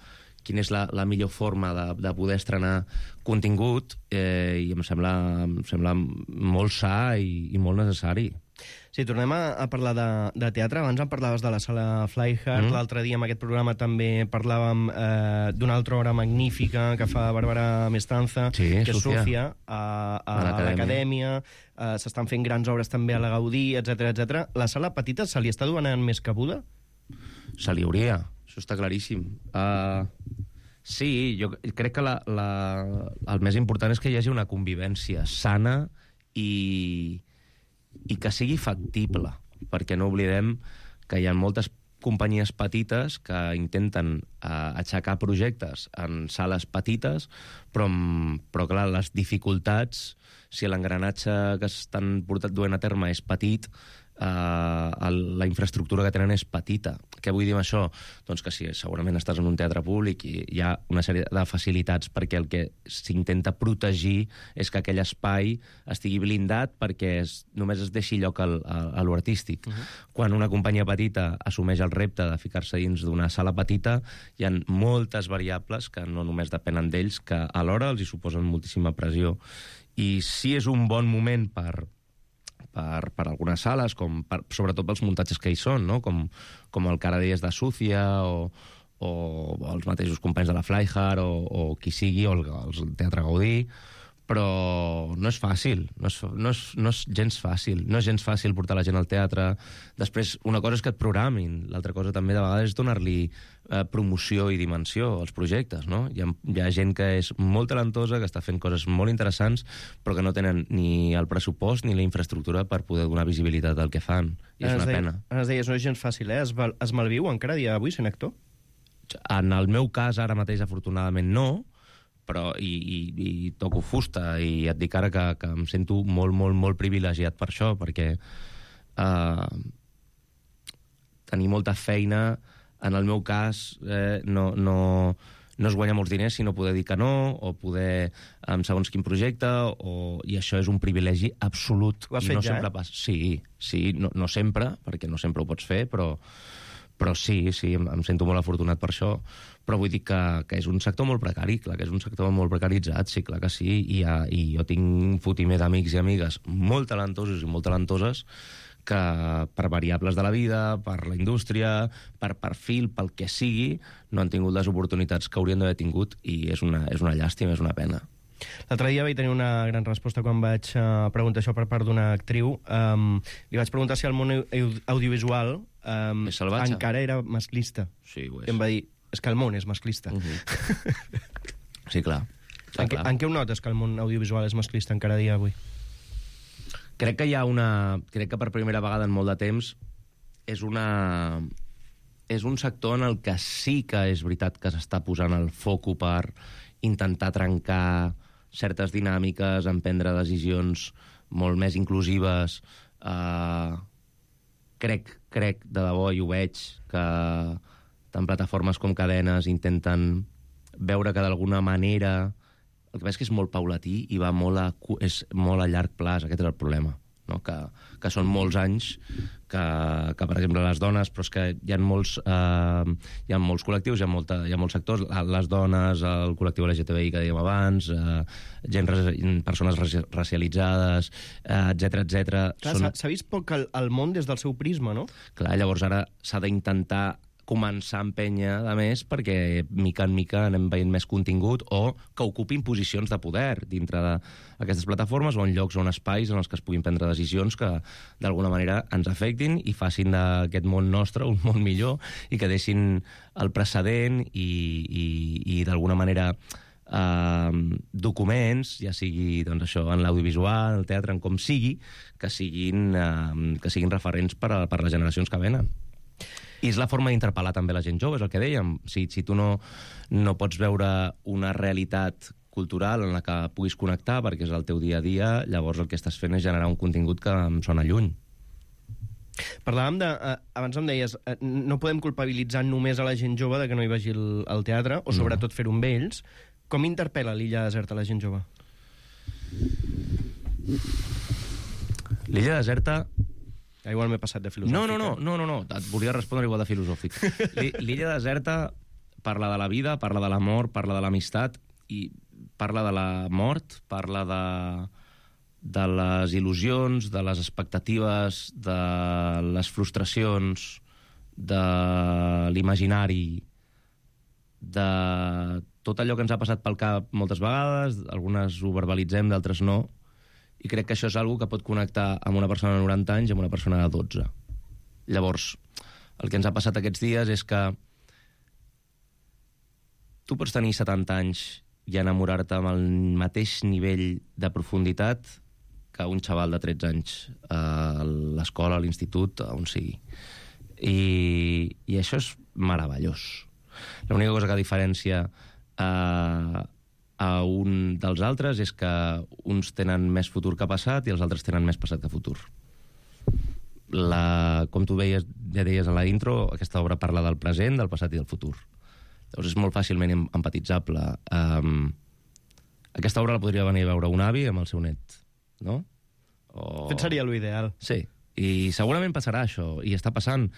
quina és la millor forma de poder estrenar contingut, i em sembla molt sa i molt necessari. Sí, tornem a parlar de teatre. Abans em parlaves de la sala Flyhard. L'altre dia en aquest programa també parlàvem d'una altra obra magnífica que fa Bàrbara Mestanza, que és Sofia, a l'Acadèmia. S'estan fent grans obres també a la Gaudí, etc. La sala petita se li està donant més cabuda? Se li hauria, això està claríssim. Sí, jo crec que el més important és que hi hagi una convivència sana i que sigui factible, perquè no oblidem que hi ha moltes companyies petites que intenten aixecar projectes en sales petites, però clar, les dificultats, si l'engranatge que estan duent a terme és petit, la infraestructura que tenen és petita. Què vull dir amb això? Doncs que si segurament estàs en un teatre públic i hi ha una sèrie de facilitats perquè el que s'intenta protegir és que aquell espai estigui blindat perquè només es deixi lloc a l'artístic. Quan una companyia petita assumeix el repte de ficar-se dins d'una sala petita, hi ha moltes variables que no només depenen d'ells, que alhora els hi suposen moltíssima pressió. I sí és un bon moment per algunes sales, sobretot pels muntatges que hi són, no? com el que ara deies de Súcia, o els mateixos companys de la Flyhard, o qui sigui, o el Teatre Gaudí, però no és fàcil, no és gens fàcil. No és gens fàcil portar la gent al teatre. Després, una cosa és que et programin, l'altra cosa també de vegades és donar-li promoció i dimensió als projectes, no? Hi ha gent que és molt talentosa, que està fent coses molt interessants, però que no tenen ni el pressupost ni la infraestructura per poder donar visibilitat al que fan. I és una pena. Ens deies, no és gens fàcil, eh? Es malviu encara a dia d'avui sent actor? En el meu cas, ara mateix, afortunadament, no, però i toco fusta, i et dic ara que em sento molt, molt, molt privilegiat per això, perquè tenir molta feina, en el meu cas, no es guanya molts diners, sinó poder dir que no, o poder, amb segons quin projecte, i això és un privilegi absolut. Ho has fet ja, Sí, no sempre, perquè no sempre ho pots fer, però sí, em sento molt afortunat per això, però vull dir que és un sector molt precari, clar que és un sector molt precaritzat, sí, clar que sí, i jo tinc un fotimer d'amics i amigues molt talentosos i molt talentoses que per variables de la vida, per la indústria, per perfil, pel que sigui, no han tingut les oportunitats que haurien d'haver tingut, i és una llàstima, és una pena. L'altre dia vaig tenir una gran resposta quan vaig preguntar això per part d'una actriu. Li vaig preguntar si el món audiovisual encara era masclista. Sí, ho és. I em va dir, és que el món és masclista. Sí, clar. En què ho notes, que el món audiovisual és masclista encara a dia d'avui? Crec que per primera vegada en molt de temps és un sector en el que sí que és veritat que s'està posant el foco per intentar trencar certes dinàmiques, emprendre decisions molt més inclusives. Crec de debò, i ho veig, que tant plataformes com cadenes intenten veure que d'alguna manera... El que passa és que és molt paulatí i és molt a llarg plaç, aquest és el problema, no? Que són molts anys que, per exemple, les dones, però és que hi ha molts col·lectius, hi ha molts sectors, les dones, el col·lectiu LGTBI que dèiem abans, persones racialitzades, etc. S'ha vist poc el món des del seu prisma, no? Clar, llavors ara s'ha d'intentar començar a empènyer, a més, perquè mica en mica anem veient més contingut o que ocupin posicions de poder dintre d'aquestes plataformes o en llocs o en espais en els que es puguin prendre decisions que d'alguna manera ens afectin i facin d'aquest món nostre un món millor i que deixin el precedent i d'alguna manera documents, ja sigui doncs, això, en l'audiovisual, en el teatre, en com sigui, que siguin referents per a les generacions que venen. I és la forma d'interpel·lar també la gent jove, és el que dèiem. Si tu no pots veure una realitat cultural en la que puguis connectar perquè és el teu dia a dia, llavors el que estàs fent és generar un contingut que em sona lluny. Parlàvem abans em deies, no podem culpabilitzar només a la gent jove de que no hi vagi al teatre, o sobretot fer-ho amb ells. Com interpel·la l'Illa Deserta a la gent jove? L'Illa Deserta... Igual m'he passat de filosòfic. No, et volia respondre igual de filosòfic. L'Illa Deserta parla de la vida, parla de l'amor, parla de l'amistat, i parla de la mort, parla de les il·lusions, de les expectatives, de les frustracions, de l'imaginari, de tot allò que ens ha passat pel cap moltes vegades, algunes ho verbalitzem, d'altres no, i crec que això és una que pot connectar amb una persona de 90 anys i amb una persona de 12. Llavors, el que ens ha passat aquests dies és que tu pots tenir 70 anys i enamorar-te amb el mateix nivell de profunditat que un xaval de 13 anys a l'escola, a l'institut, on sigui. I això és meravellós. L'única cosa que diferencia a un dels altres és que uns tenen més futur que passat i els altres tenen més passat que futur. Com tu ja deies a la intro, aquesta obra parla del present, del passat i del futur. Llavors és molt fàcilment empatitzable. Aquesta obra la podria venir a veure un avi amb el seu net, no? Fet seria l'ideal. Sí, i segurament passarà això, i està passant.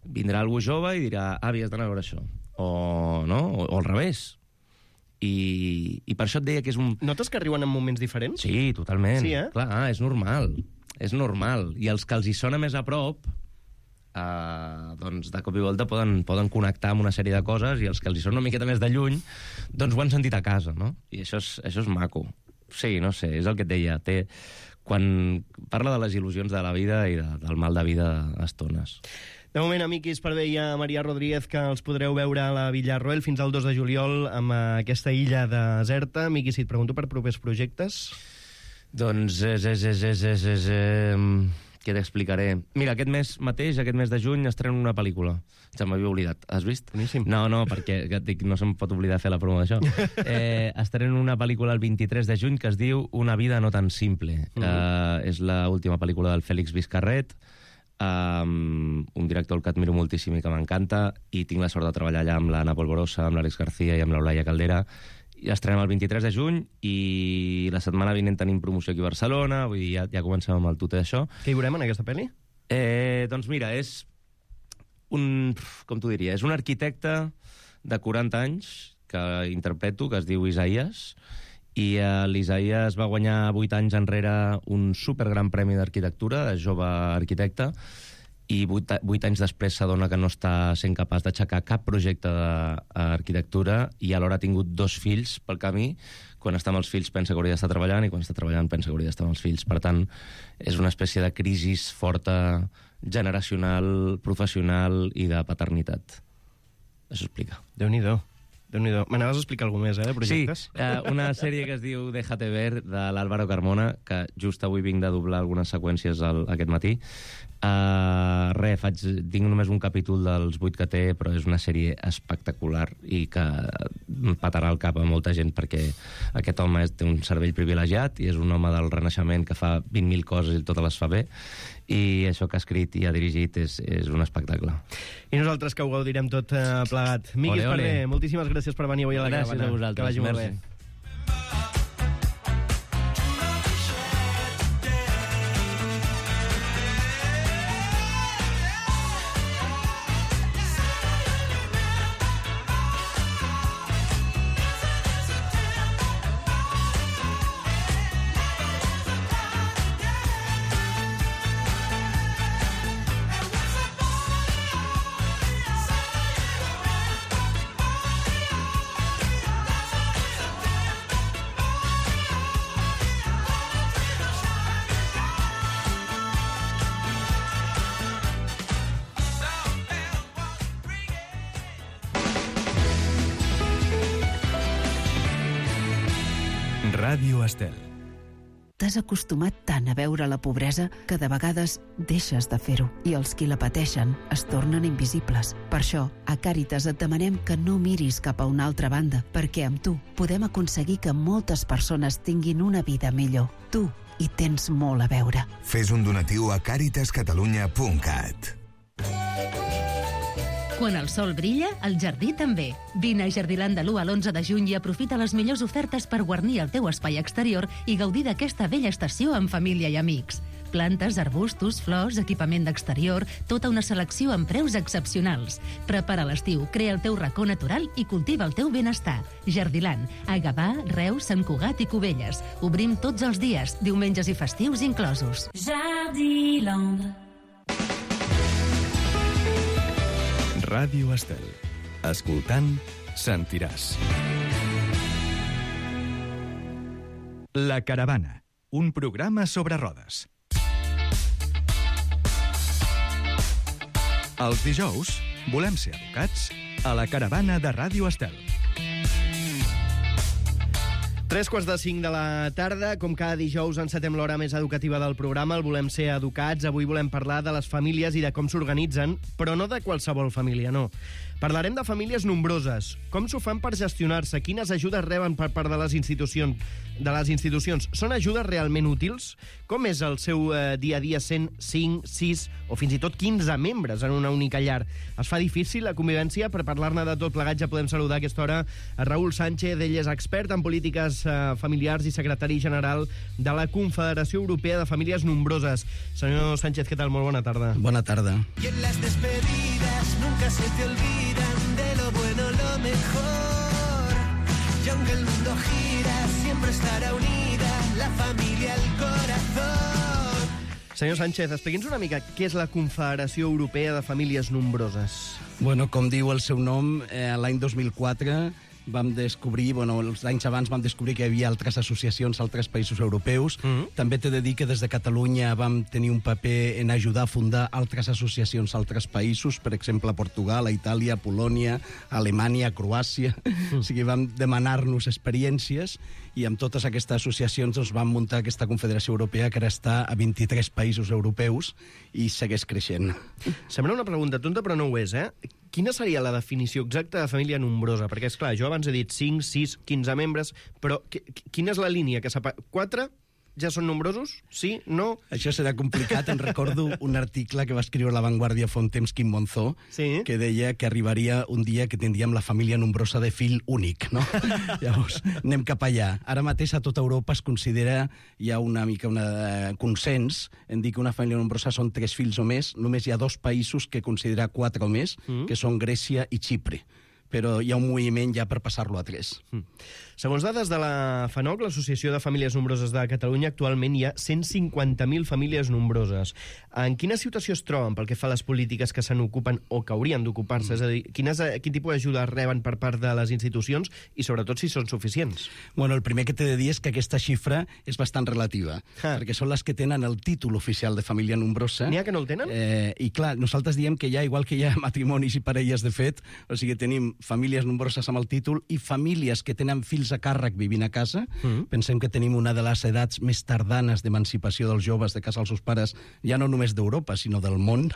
Vindrà algú jove i dirà, avi, has d'anar a veure això. O al revés. I per això et deia que és un... Notes que arriben en moments diferents? Sí, totalment. Sí, eh? Clar, és normal. És normal. I els que els hi sona més a prop, doncs de cop i volta poden connectar amb una sèrie de coses, i els que els hi sona una miqueta més de lluny, doncs ho han sentit a casa, no? I això és maco. Sí, no sé, és el que et deia. Quan parla de les il·lusions de la vida i del mal de vida a estones. De moment, a Miqui Esparvé i a Maria Rodríguez, que els podreu veure a la Villarroel fins al 2 de juliol amb aquesta illa deserta. Miqui, si et pregunto per propers projectes... Doncs què t'explicaré? Mira, aquest mes mateix, aquest mes de juny, estreno una pel·lícula. Se m'havia oblidat. Has vist? Boníssim. No, perquè no se'm pot oblidar fer la promo d'això. Estreno una pel·lícula el 23 de juny que es diu Una vida no tan simple. És l'última pel·lícula del Félix Vizcarret, un director que admiro moltíssim i que m'encanta, i tinc la sort de treballar allà amb l'Anna Polvorosa, amb l'Àlex García i amb l'Eulàlia Caldera. I estrenem el 23 de juny i la setmana vinent tenim promoció aquí a Barcelona, vull dir, ja comencem amb el tute d'això. Què hi veurem en aquesta pel·li? Doncs mira, és com t'ho diria, és un arquitecte de 40 anys que interpreto, que es diu Isaías, i l'Isaías va guanyar 8 anys enrere un supergran premi d'arquitectura, de jove arquitecte, i 8 anys després s'adona que no està sent capaç d'aixecar cap projecte d'arquitectura i alhora ha tingut 2 fills pel camí. Quan està amb els fills pensa que hauria d'estar treballant i quan està treballant pensa que hauria d'estar amb els fills. Per tant, és una espècie de crisi forta, generacional, professional i de paternitat. Això explica. Déu-n'hi-do. M'anaves a explicar alguna cosa més, de projectes? Sí, una sèrie que es diu Déjate ver, de l'Álvaro Carmona, que just avui vinc de doblar algunes seqüències aquest matí. Tinc només un capítol dels 8 que té, però és una sèrie espectacular i que patarà el cap a molta gent, perquè aquest home té un cervell privilegiat i és un home del Renaixement que fa 20.000 coses i totes les fa bé, i això que ha escrit i ha dirigit és un espectacle. I nosaltres que ho gaudirem tot plegat. Miqui Esparvé, moltíssimes gràcies per venir avui a la Caravana. Gràcies a vosaltres. Que vagi molt bé. Ràdio Estel. T'has acostumat tant a veure la pobresa que de vegades deixes de fer-ho i els qui la pateixen es tornen invisibles. Per això, a Càritas et demanem que no miris cap a una altra banda, perquè amb tu podem aconseguir que moltes persones tinguin una vida millor. Tu hi tens molt a veure. Fes un donatiu a caritascatalunya.cat. Quan el sol brilla, el jardí també. Vine a Jardiland de l'1 a l'11 de juny i aprofita les millors ofertes per guarnir el teu espai exterior i gaudir d'aquesta bella estació amb família i amics. Plantes, arbustos, flors, equipament d'exterior, tota una selecció amb preus excepcionals. Prepara l'estiu, crea el teu racó natural i cultiva el teu benestar. Jardiland, a Gavà, Reus, Sant Cugat i Cubelles. Obrim tots els dies, diumenges i festius inclosos. Jardiland. Ràdio Estel. Escoltant, sentiràs. La Caravana, un programa sobre rodes. Els dijous volem ser educats a la Caravana de Ràdio Estel. 3:45 de la tarda, com cada dijous encetem l'hora més educativa del programa, el Volem ser educats. Avui volem parlar de les famílies i de com s'organitzen, però no de qualsevol família, no. Parlarem de famílies nombroses, com s'ho fan per gestionar-se, quines ajudes reben per part de les institucions. Són ajudes realment útils? Com és el seu dia a dia sent 5, 6 o fins i tot 15 membres en una única llar? Es fa difícil la convivència? Per parlar-ne de tot plegat ja podem saludar a aquesta hora a Raül Sánchez. Ell és expert en polítiques familiars i secretari general de la Confederació Europea de Famílies Nombroses. Senyor Sánchez, què tal? Molt bona tarda. Bona tarda. Y en las despedidas nunca se te olvidan de lo bueno, lo mejor. Y aunque el mundo gira, siempre estará unida la familia al corazón. Senyor Sánchez, expliqui'ns una mica què és la Confederació Europea de Famílies Nombroses. Bueno, com diu el seu nom, l'any 2004 vam descobrir, els anys abans vam descobrir que hi havia altres associacions a altres països europeus. També t'he de dir que des de Catalunya vam tenir un paper en ajudar a fundar altres associacions a altres països, per exemple, a Portugal, a Itàlia, a Polònia, a Alemanya, a Croàcia. O sigui, vam demanar-nos experiències i amb totes aquestes associacions doncs, vam muntar aquesta Confederació Europea que ara està a 23 països europeus i segueix creixent. Sembla una pregunta tonta, però no ho és, eh? Quina seria la definició exacta de família nombrosa? Perquè, és clar, jo abans he dit 5, 6, 15 membres, però quina és la línia que separa? 4 ja són nombrosos? Sí? No? Això serà complicat. Em recordo un article que va escriure a La Vanguardia fa un temps, Quim Monzó, que deia que arribaria un dia que tindríem la família nombrosa de fill únic, no? Llavors, anem cap allà. Ara mateix a tota Europa es considera, hi ha una mica un consens en dir que una família nombrosa són 3 fills o més. Només hi ha 2 països que considera 4 o més, que són Grècia i Xipre. Però hi ha un moviment ja per passar-lo a 3. Segons dades de la FANOC, l'Associació de Famílies Nombroses de Catalunya, actualment hi ha 150.000 famílies nombroses. En quina situació es troben pel que fa a les polítiques que se n'ocupen o que haurien d'ocupar-se? És a dir, quin tipus d'ajuda reben per part de les institucions i, sobretot, si són suficients? Bueno, el primer que t'he de dir és que aquesta xifra és bastant relativa, perquè són les que tenen el títol oficial de família nombrosa. N'hi ha que no el tenen? I clar, nosaltres diem que igual que hi ha matrimonis i parelles de fet, o sigui, tenim famílies nombroses amb el títol i famílies que tenen fills a càrrec vivint a casa. Pensem que tenim una de les edats més tardanes d'emancipació dels joves de casa als seus pares, ja no només d'Europa, sinó del món.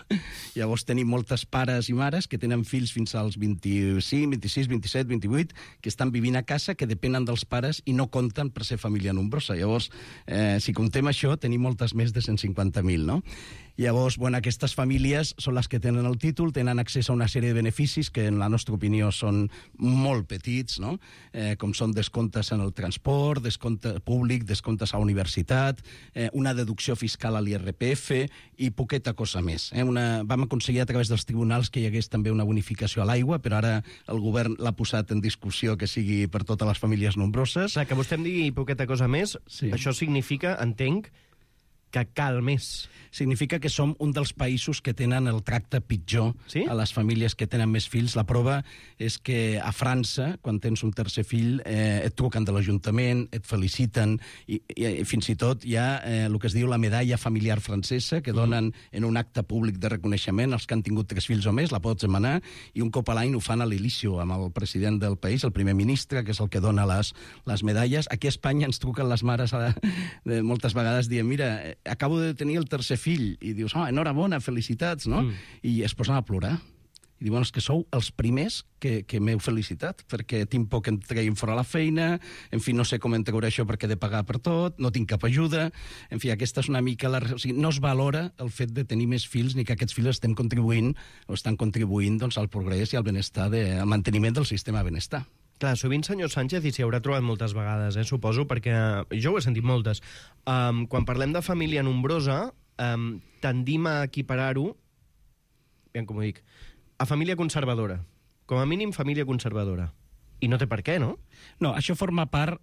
Llavors tenim moltes pares i mares que tenen fills fins als 25, 26, 27, 28, que estan vivint a casa, que depenen dels pares i no compten per ser família nombrosa. Llavors, si comptem això, tenim moltes més de 150.000, no? Llavors, aquestes famílies són les que tenen el títol, tenen accés a una sèrie de beneficis que, en la nostra opinió, són molt petits, no? Com són descomptes en el transport, descompte públic, descomptes a la universitat, una deducció fiscal a l'IRPF i poqueta cosa més. Vam aconseguir a través dels tribunals que hi hagués també una bonificació a l'aigua, però ara el govern l'ha posat en discussió que sigui per totes les famílies nombroses. Que vostè em digui poqueta cosa més, això significa, entenc, que cal més. Significa que som un dels països que tenen el tracte pitjor a les famílies que tenen més fills. La prova és que a França, quan tens un tercer fill, et truquen de l'Ajuntament, et feliciten, i fins i tot hi ha el que es diu la medalla familiar francesa, que donen en un acte públic de reconeixement als que han tingut 3 fills o més, la pots demanar, i un cop a l'any ho fan a l'Elísio, amb el president del país, el primer ministre, que és el que dona les medalles. Aquí a Espanya ens truquen les mares moltes vegades dient, mira, acabo de tenir el tercer fill, i dius, enhorabona, felicitats, no? I es posen a plorar. I diuen, és que sou els primers que m'heu felicitat, perquè tinc por que em treguin fora la feina, en fi, no sé com em treuré això perquè he de pagar per tot, no tinc cap ajuda, en fi, aquesta és una mica o sigui, no es valora el fet de tenir més fills ni que aquests fills estan contribuint doncs, al progrés i al benestar, al manteniment del sistema de benestar. Clar, sovint, senyor Sánchez, i s'hi haurà trobat moltes vegades, suposo, perquè jo ho he sentit moltes. Quan parlem de família nombrosa, tendim a equiparar-ho, com ho dic, a família conservadora. Com a mínim, família conservadora. I no té per què, no? No, això forma part...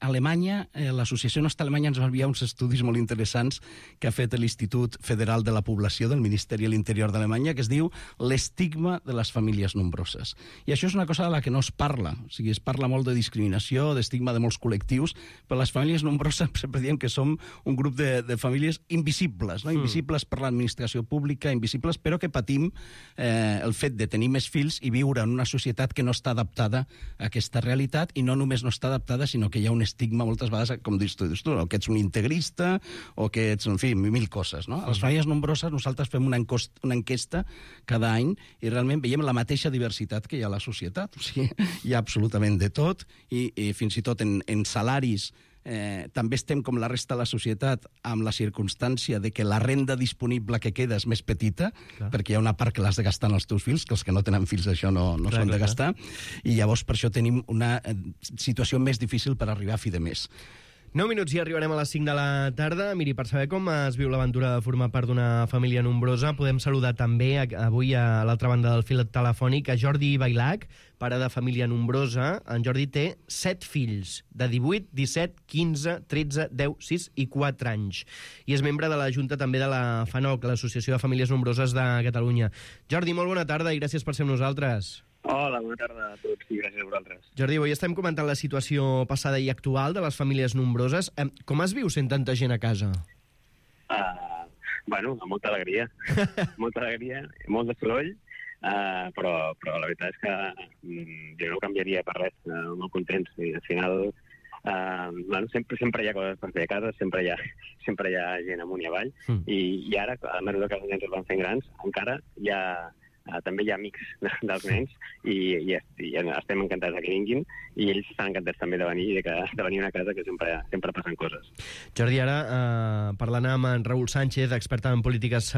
Alemanya, l'Associació Nostra Alemanya ens va enviar uns estudis molt interessants que ha fet l'Institut Federal de la Població del Ministeri de l'Interior d'Alemanya, que es diu l'estigma de les famílies nombroses. I això és una cosa de la que no es parla. O sigui, es parla molt de discriminació, d'estigma de molts col·lectius, però les famílies nombroses sempre diem que som un grup de famílies invisibles, no? Invisibles per l'administració pública, invisibles, però que patim el fet de tenir més fills i viure en una societat que no està adaptada a aquesta realitat, i no només no està adaptada, sinó que hi ha un estigma moltes vegades, com dius tu, o que ets un integrista, o que ets, en fi, 1000 coses, no? A les famílies nombroses nosaltres fem una enquesta cada any i realment veiem la mateixa diversitat que hi ha a la societat. O sigui, hi ha absolutament de tot, i fins i tot en salaris també estem com la resta de la societat amb la circumstància de que la renda disponible que queda és més petita, perquè hi ha una part que l'has de gastar en els teus fills, que els que no tenen fills això no s'ho han de gastar, i llavors per això tenim una situació més difícil per arribar a fi de mes. 9 minuts i arribarem a les 5 de la tarda. Miri, per saber com es viu l'aventura de formar part d'una família nombrosa, podem saludar també avui a l'altra banda del fil telefònic a Jordi Bailac, pare de família nombrosa. En Jordi té 7 fills, de 18, 17, 15, 13, 10, 6 i 4 anys. I és membre de la Junta també de la FANOC, l'Associació de Famílies Nombroses de Catalunya. Jordi, molt bona tarda i gràcies per ser amb nosaltres. Hola, bona tarda a tots i gràcies a vosaltres. Jordi, avui estem comentant la situació passada i actual de les famílies nombroses. Com es viu sent tanta gent a casa? Bueno, amb molta alegria. Molta alegria, molt de soroll, però la veritat és que jo no ho canviaria per res, molt contents. I al final, bueno, sempre hi ha coses per fer a casa, sempre hi ha gent amunt i avall, i ara, a mesura que els nens es van fent grans, encara també hi ha amics dels nens i estem encantats que vinguin i ells estan encantats també de venir a una casa que sempre passen coses. Jordi, ara parlant amb en Raül Sánchez, expert en polítiques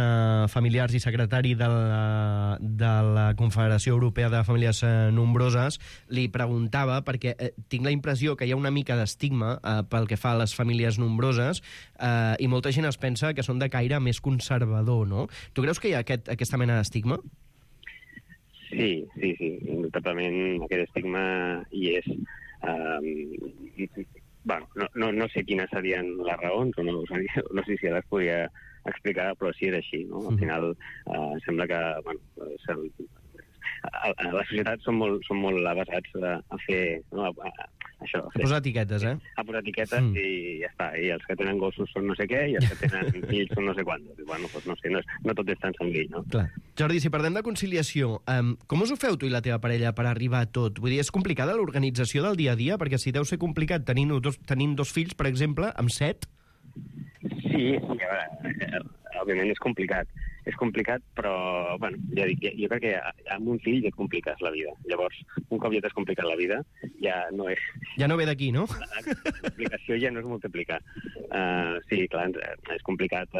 familiars i secretari de la Confederació Europea de Famílies Nombroses, li preguntava, perquè tinc la impressió que hi ha una mica d'estigma pel que fa a les famílies nombroses i molta gent es pensa que són de caire més conservador, no? Tu creus que hi ha aquesta mena d'estigma? Sí, indubtablement aquest estigma hi és. Bueno, no sé quines serien les raons, no sé si les podria explicar, però sí és així, no? Al final sembla que a la societat són molt avesats a fer això. A posar etiquetes, A posar etiquetes i ja està. I els que tenen gossos són no sé què i els que tenen fills són no sé quant. Bueno, doncs no sé, no tot és tan senzill, no? Clar. Jordi, si parlem de conciliació, com us ho feu tu i la teva parella per arribar a tot? Vull dir, és complicada l'organització del dia a dia? Perquè si deu ser complicat tenint dos fills, per exemple, amb 7... Sí, a veure, òbviament és complicat. És complicat, però, bueno, ja dic, jo crec que amb un fill ja et compliques la vida. Llavors, un cop ja t'has complicat la vida, ja no és... Ja no ve d'aquí, no? La complicació ja no és multiplicar. Sí, clar, és complicat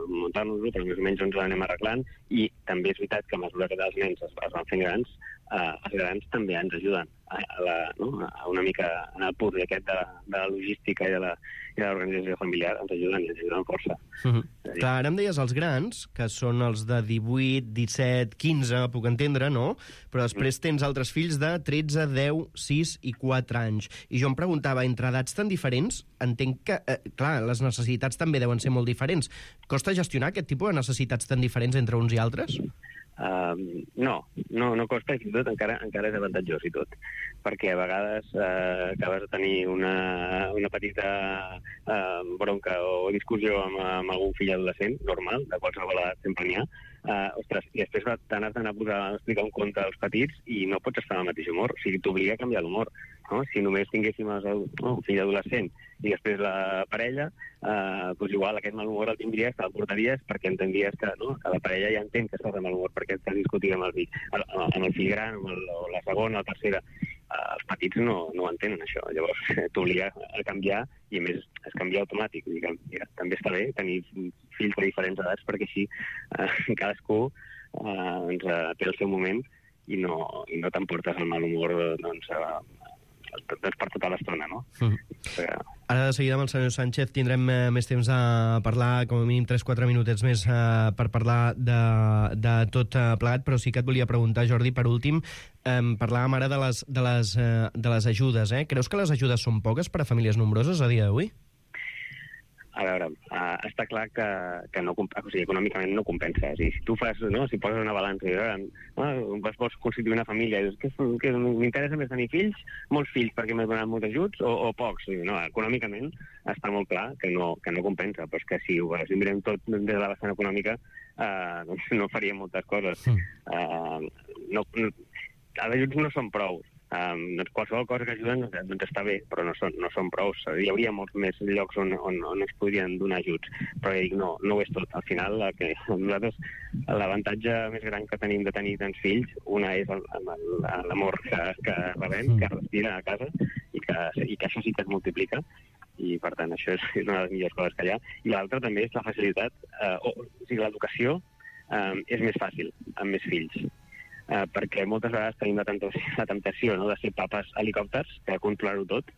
muntar-nos-ho, però més o menys ens l'anem arreglant, i també és veritat que a mesura que els nens es van fent grans, els grans també ens ajuden a una mica en el punt aquest de la logística i de l'organització familiar, ens ajuden força. Clar, ara em deies els grans, que són els de 18, 17, 15, puc entendre, no? Però després tens altres fills de 13, 10, 6 i 4 anys. I jo em preguntava, entre edats tan diferents, entenc que, clar, les necessitats també deuen ser molt diferents. Costa gestionar aquest tipus de necessitats tan diferents entre uns i altres? No costa, i fins i tot encara és avantatjós i tot, perquè a vegades acabes de tenir una petita bronca o discussió amb algun fill adolescent, normal, de qualsevol edat sempre n'hi ha, ostres, i després t'has d'anar a explicar un conte als petits i no pots estar al mateix humor, o sigui, t'obliga a canviar l'humor, no? Si només tinguéssim un fill adolescent i després la parella, doncs igual aquest mal humor el tindries, te'l portaries perquè entendries que la parella ja entén que estàs de mal humor perquè estàs discutint amb el fill gran, o la segona, la tercera. Els petits no entenen això, llavors t'obliga a canviar i a més es canvia automàtic. També està bé tenir fills de diferents edats perquè així cadascú té el seu moment i no t'emportes el mal humor per tota l'estona, no? Ara de seguida amb el senyor Sánchez tindrem més temps a parlar, com a mínim 3-4 minutets més per parlar de tot plegat, però sí que et volia preguntar, Jordi, per últim, parlàvem ara de les ajudes, Creus que les ajudes són poques per a famílies nombroses a dia d'avui? A veure, està clar que no, o sigui, econòmicament no compensa. Si tu fas, si poses una balança i vols constituir una família i dius que m'interessa més tenir fills, molts fills perquè m'he donat molts ajuts o pocs. No, econòmicament està molt clar que no compensa, però és que si ho mirem tot des de la vessant econòmica no faríem moltes coses. Els ajuts no són prou. Qualsevol cosa que ajuden està bé, però no són prou. Hi hauria molts més llocs on es podrien donar ajuts, però no ho és tot. Al final, nosaltres l'avantatge més gran que tenim de tenir tants fills, una és l'amor que rebem, que respira a casa, i que això sí que es multiplica, i per tant això és una de les millors coses que hi ha. I l'altra també és la facilitat, o sigui, l'educació és més fàcil amb més fills. Perquè moltes vegades tenim la temptació de ser papes helicòpters, de controlar-ho tot,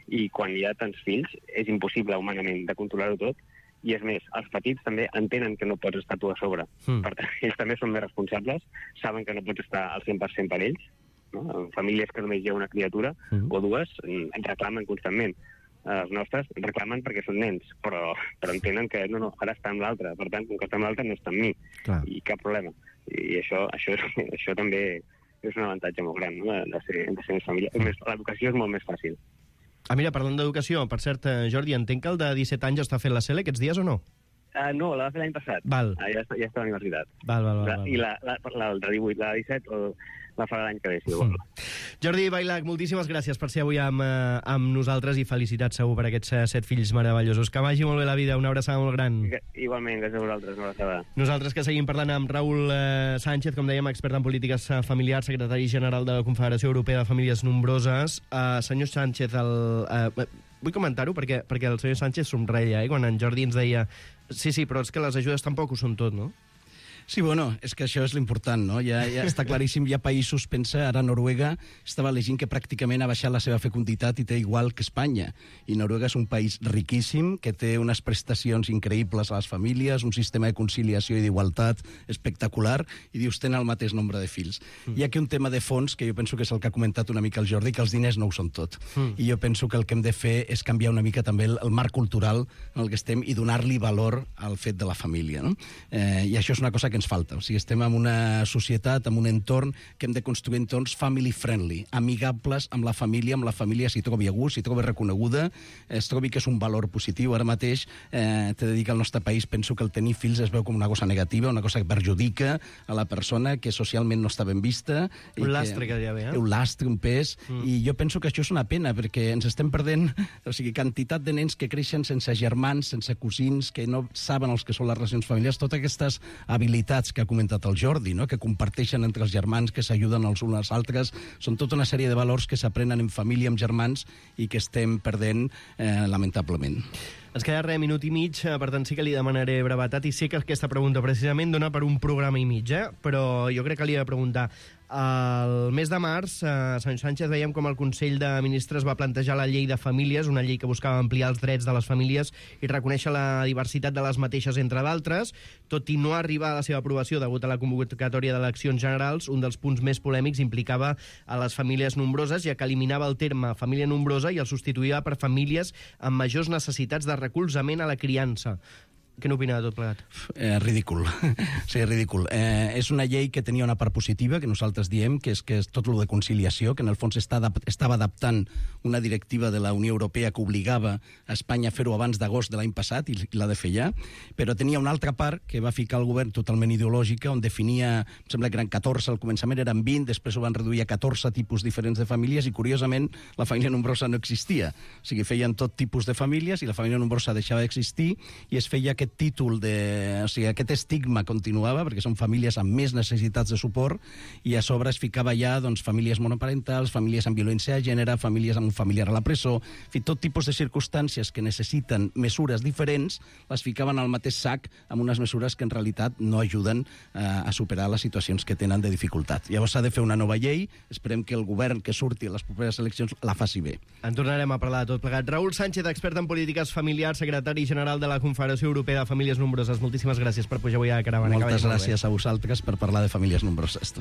i quan hi ha tants fills és impossible humanament de controlar-ho tot, i és més, els petits també entenen que no pots estar tu a sobre. Per tant, ells també són més responsables, saben que no pots estar al 100% per ells, en famílies que només hi ha una criatura o dues, ens reclamen constantment. Els nostres reclamen perquè són nens, però entenen que ara està amb l'altre, per tant, com que està amb l'altre no està amb mi, i cap problema. I això també és un avantatge molt gran, no?, de ser més família. L'educació és molt més fàcil. Mira, parlant d'educació, per cert, Jordi, entenc que el de 17 anys està fent la CEL aquests dies o no? No, la va fer l'any passat. Val. Ja està a la universitat. Val. I la de 18, la de 17, la farà l'any que ve, si vol. Jordi Vailac, moltíssimes gràcies per ser avui amb nosaltres i felicitats segur per aquests 7 fills meravellosos. Que vagi molt bé la vida, una abraçada molt gran. Igualment, gràcies a vosaltres, una abraçada. Nosaltres que seguim parlant amb Raül Sánchez, com dèiem, expert en polítiques familiars, secretari general de la Confederació Europea de Famílies Nombroses. Senyor Sánchez, vull comentar-ho perquè el senyor Sánchez somreia, quan en Jordi ens deia sí, però és que les ajudes tampoc ho són tot, no? Sí, bueno, és que això és l'important, no? Ja està claríssim, hi ha països, pensa, ara Noruega estava llegint que pràcticament ha baixat la seva fecunditat i té igual que Espanya. I Noruega és un país riquíssim, que té unes prestacions increïbles a les famílies, un sistema de conciliació i d'igualtat espectacular, i dius, tenen el mateix nombre de fills. Hi ha aquí un tema de fons, que jo penso que és el que ha comentat una mica el Jordi, que els diners no ho són tot. I jo penso que el que hem de fer és canviar una mica també el marc cultural en el que estem i donar-li valor al fet de la família, no? I això és una cosa que ens falta. O sigui, estem en una societat, en un entorn que hem de construir entorns family-friendly, amigables amb la família s'hi trobi a gust, s'hi trobi reconeguda, es trobi que és un valor positiu. Ara mateix, t'he de dir que al nostre país penso que el tenir fills es veu com una cosa negativa, una cosa que perjudica a la persona, que socialment no està ben vista. Un lastre que hi ha, un lastre, un pes, i jo penso que això és una pena, perquè ens estem perdent, o sigui, quantitat de nens que creixen sense germans, sense cosins, que no saben els que són les relacions familiars, totes aquestes habilitats que ha comentat el Jordi, no?, que comparteixen entre els germans, que s'ajuden els uns als altres, són tota una sèrie de valors que s'aprenen en família, amb germans, i que estem perdent, lamentablement. Ens queda minut i mig, per tant sí que li demanaré brevetat, i sé que aquesta pregunta precisament dona per un programa i mig, però jo crec que li he de preguntar. El mes de març, senyor Sánchez, veiem com el Consell de Ministres va plantejar la llei de famílies, una llei que buscava ampliar els drets de les famílies i reconèixer la diversitat de les mateixes, entre d'altres. Tot i no arribar a la seva aprovació degut a la convocatòria d'eleccions generals, un dels punts més polèmics implicava a les famílies nombroses, ja que eliminava el terme família nombrosa i el substituïa per famílies amb majors necessitats de recolzament a la criança. Què n'opina de tot plegat? Ridícul. Sí, ridícul. És una llei que tenia una part positiva, que nosaltres diem, que és tot el de conciliació, que en el fons estava adaptant una directiva de la Unió Europea que obligava a Espanya a fer-ho abans d'agost de l'any passat, i l'ha de fer ja, però tenia una altra part que va ficar el govern totalment ideològica, on definia, em sembla que eren 14, al començament eren 20, després ho van reduir a 14 tipus diferents de famílies, i curiosament la família nombrosa no existia. O sigui, feien tot tipus de famílies, i la família nombrosa deixava d'existir, i es feia aquest títol o sigui, aquest estigma continuava, perquè són famílies amb més necessitats de suport, i a sobre es ficava ja, doncs, famílies monoparentals, famílies amb violència de gènere, famílies amb un familiar a la presó, en fi, tot tipus de circumstàncies que necessiten mesures diferents, les ficaven al mateix sac amb unes mesures que en realitat no ajuden a superar les situacions que tenen de dificultat. Llavors s'ha de fer una nova llei, esperem que el govern que surti a les properes eleccions la faci bé. En tornarem a parlar de tot plegat. Raül Sánchez, expert en polítiques familiars, secretari general de la Confederació Europea de Famílies Nombroses. Moltíssimes gràcies per pujar avui a la caravana. Moltes gràcies a vosaltres per parlar de famílies nombroses.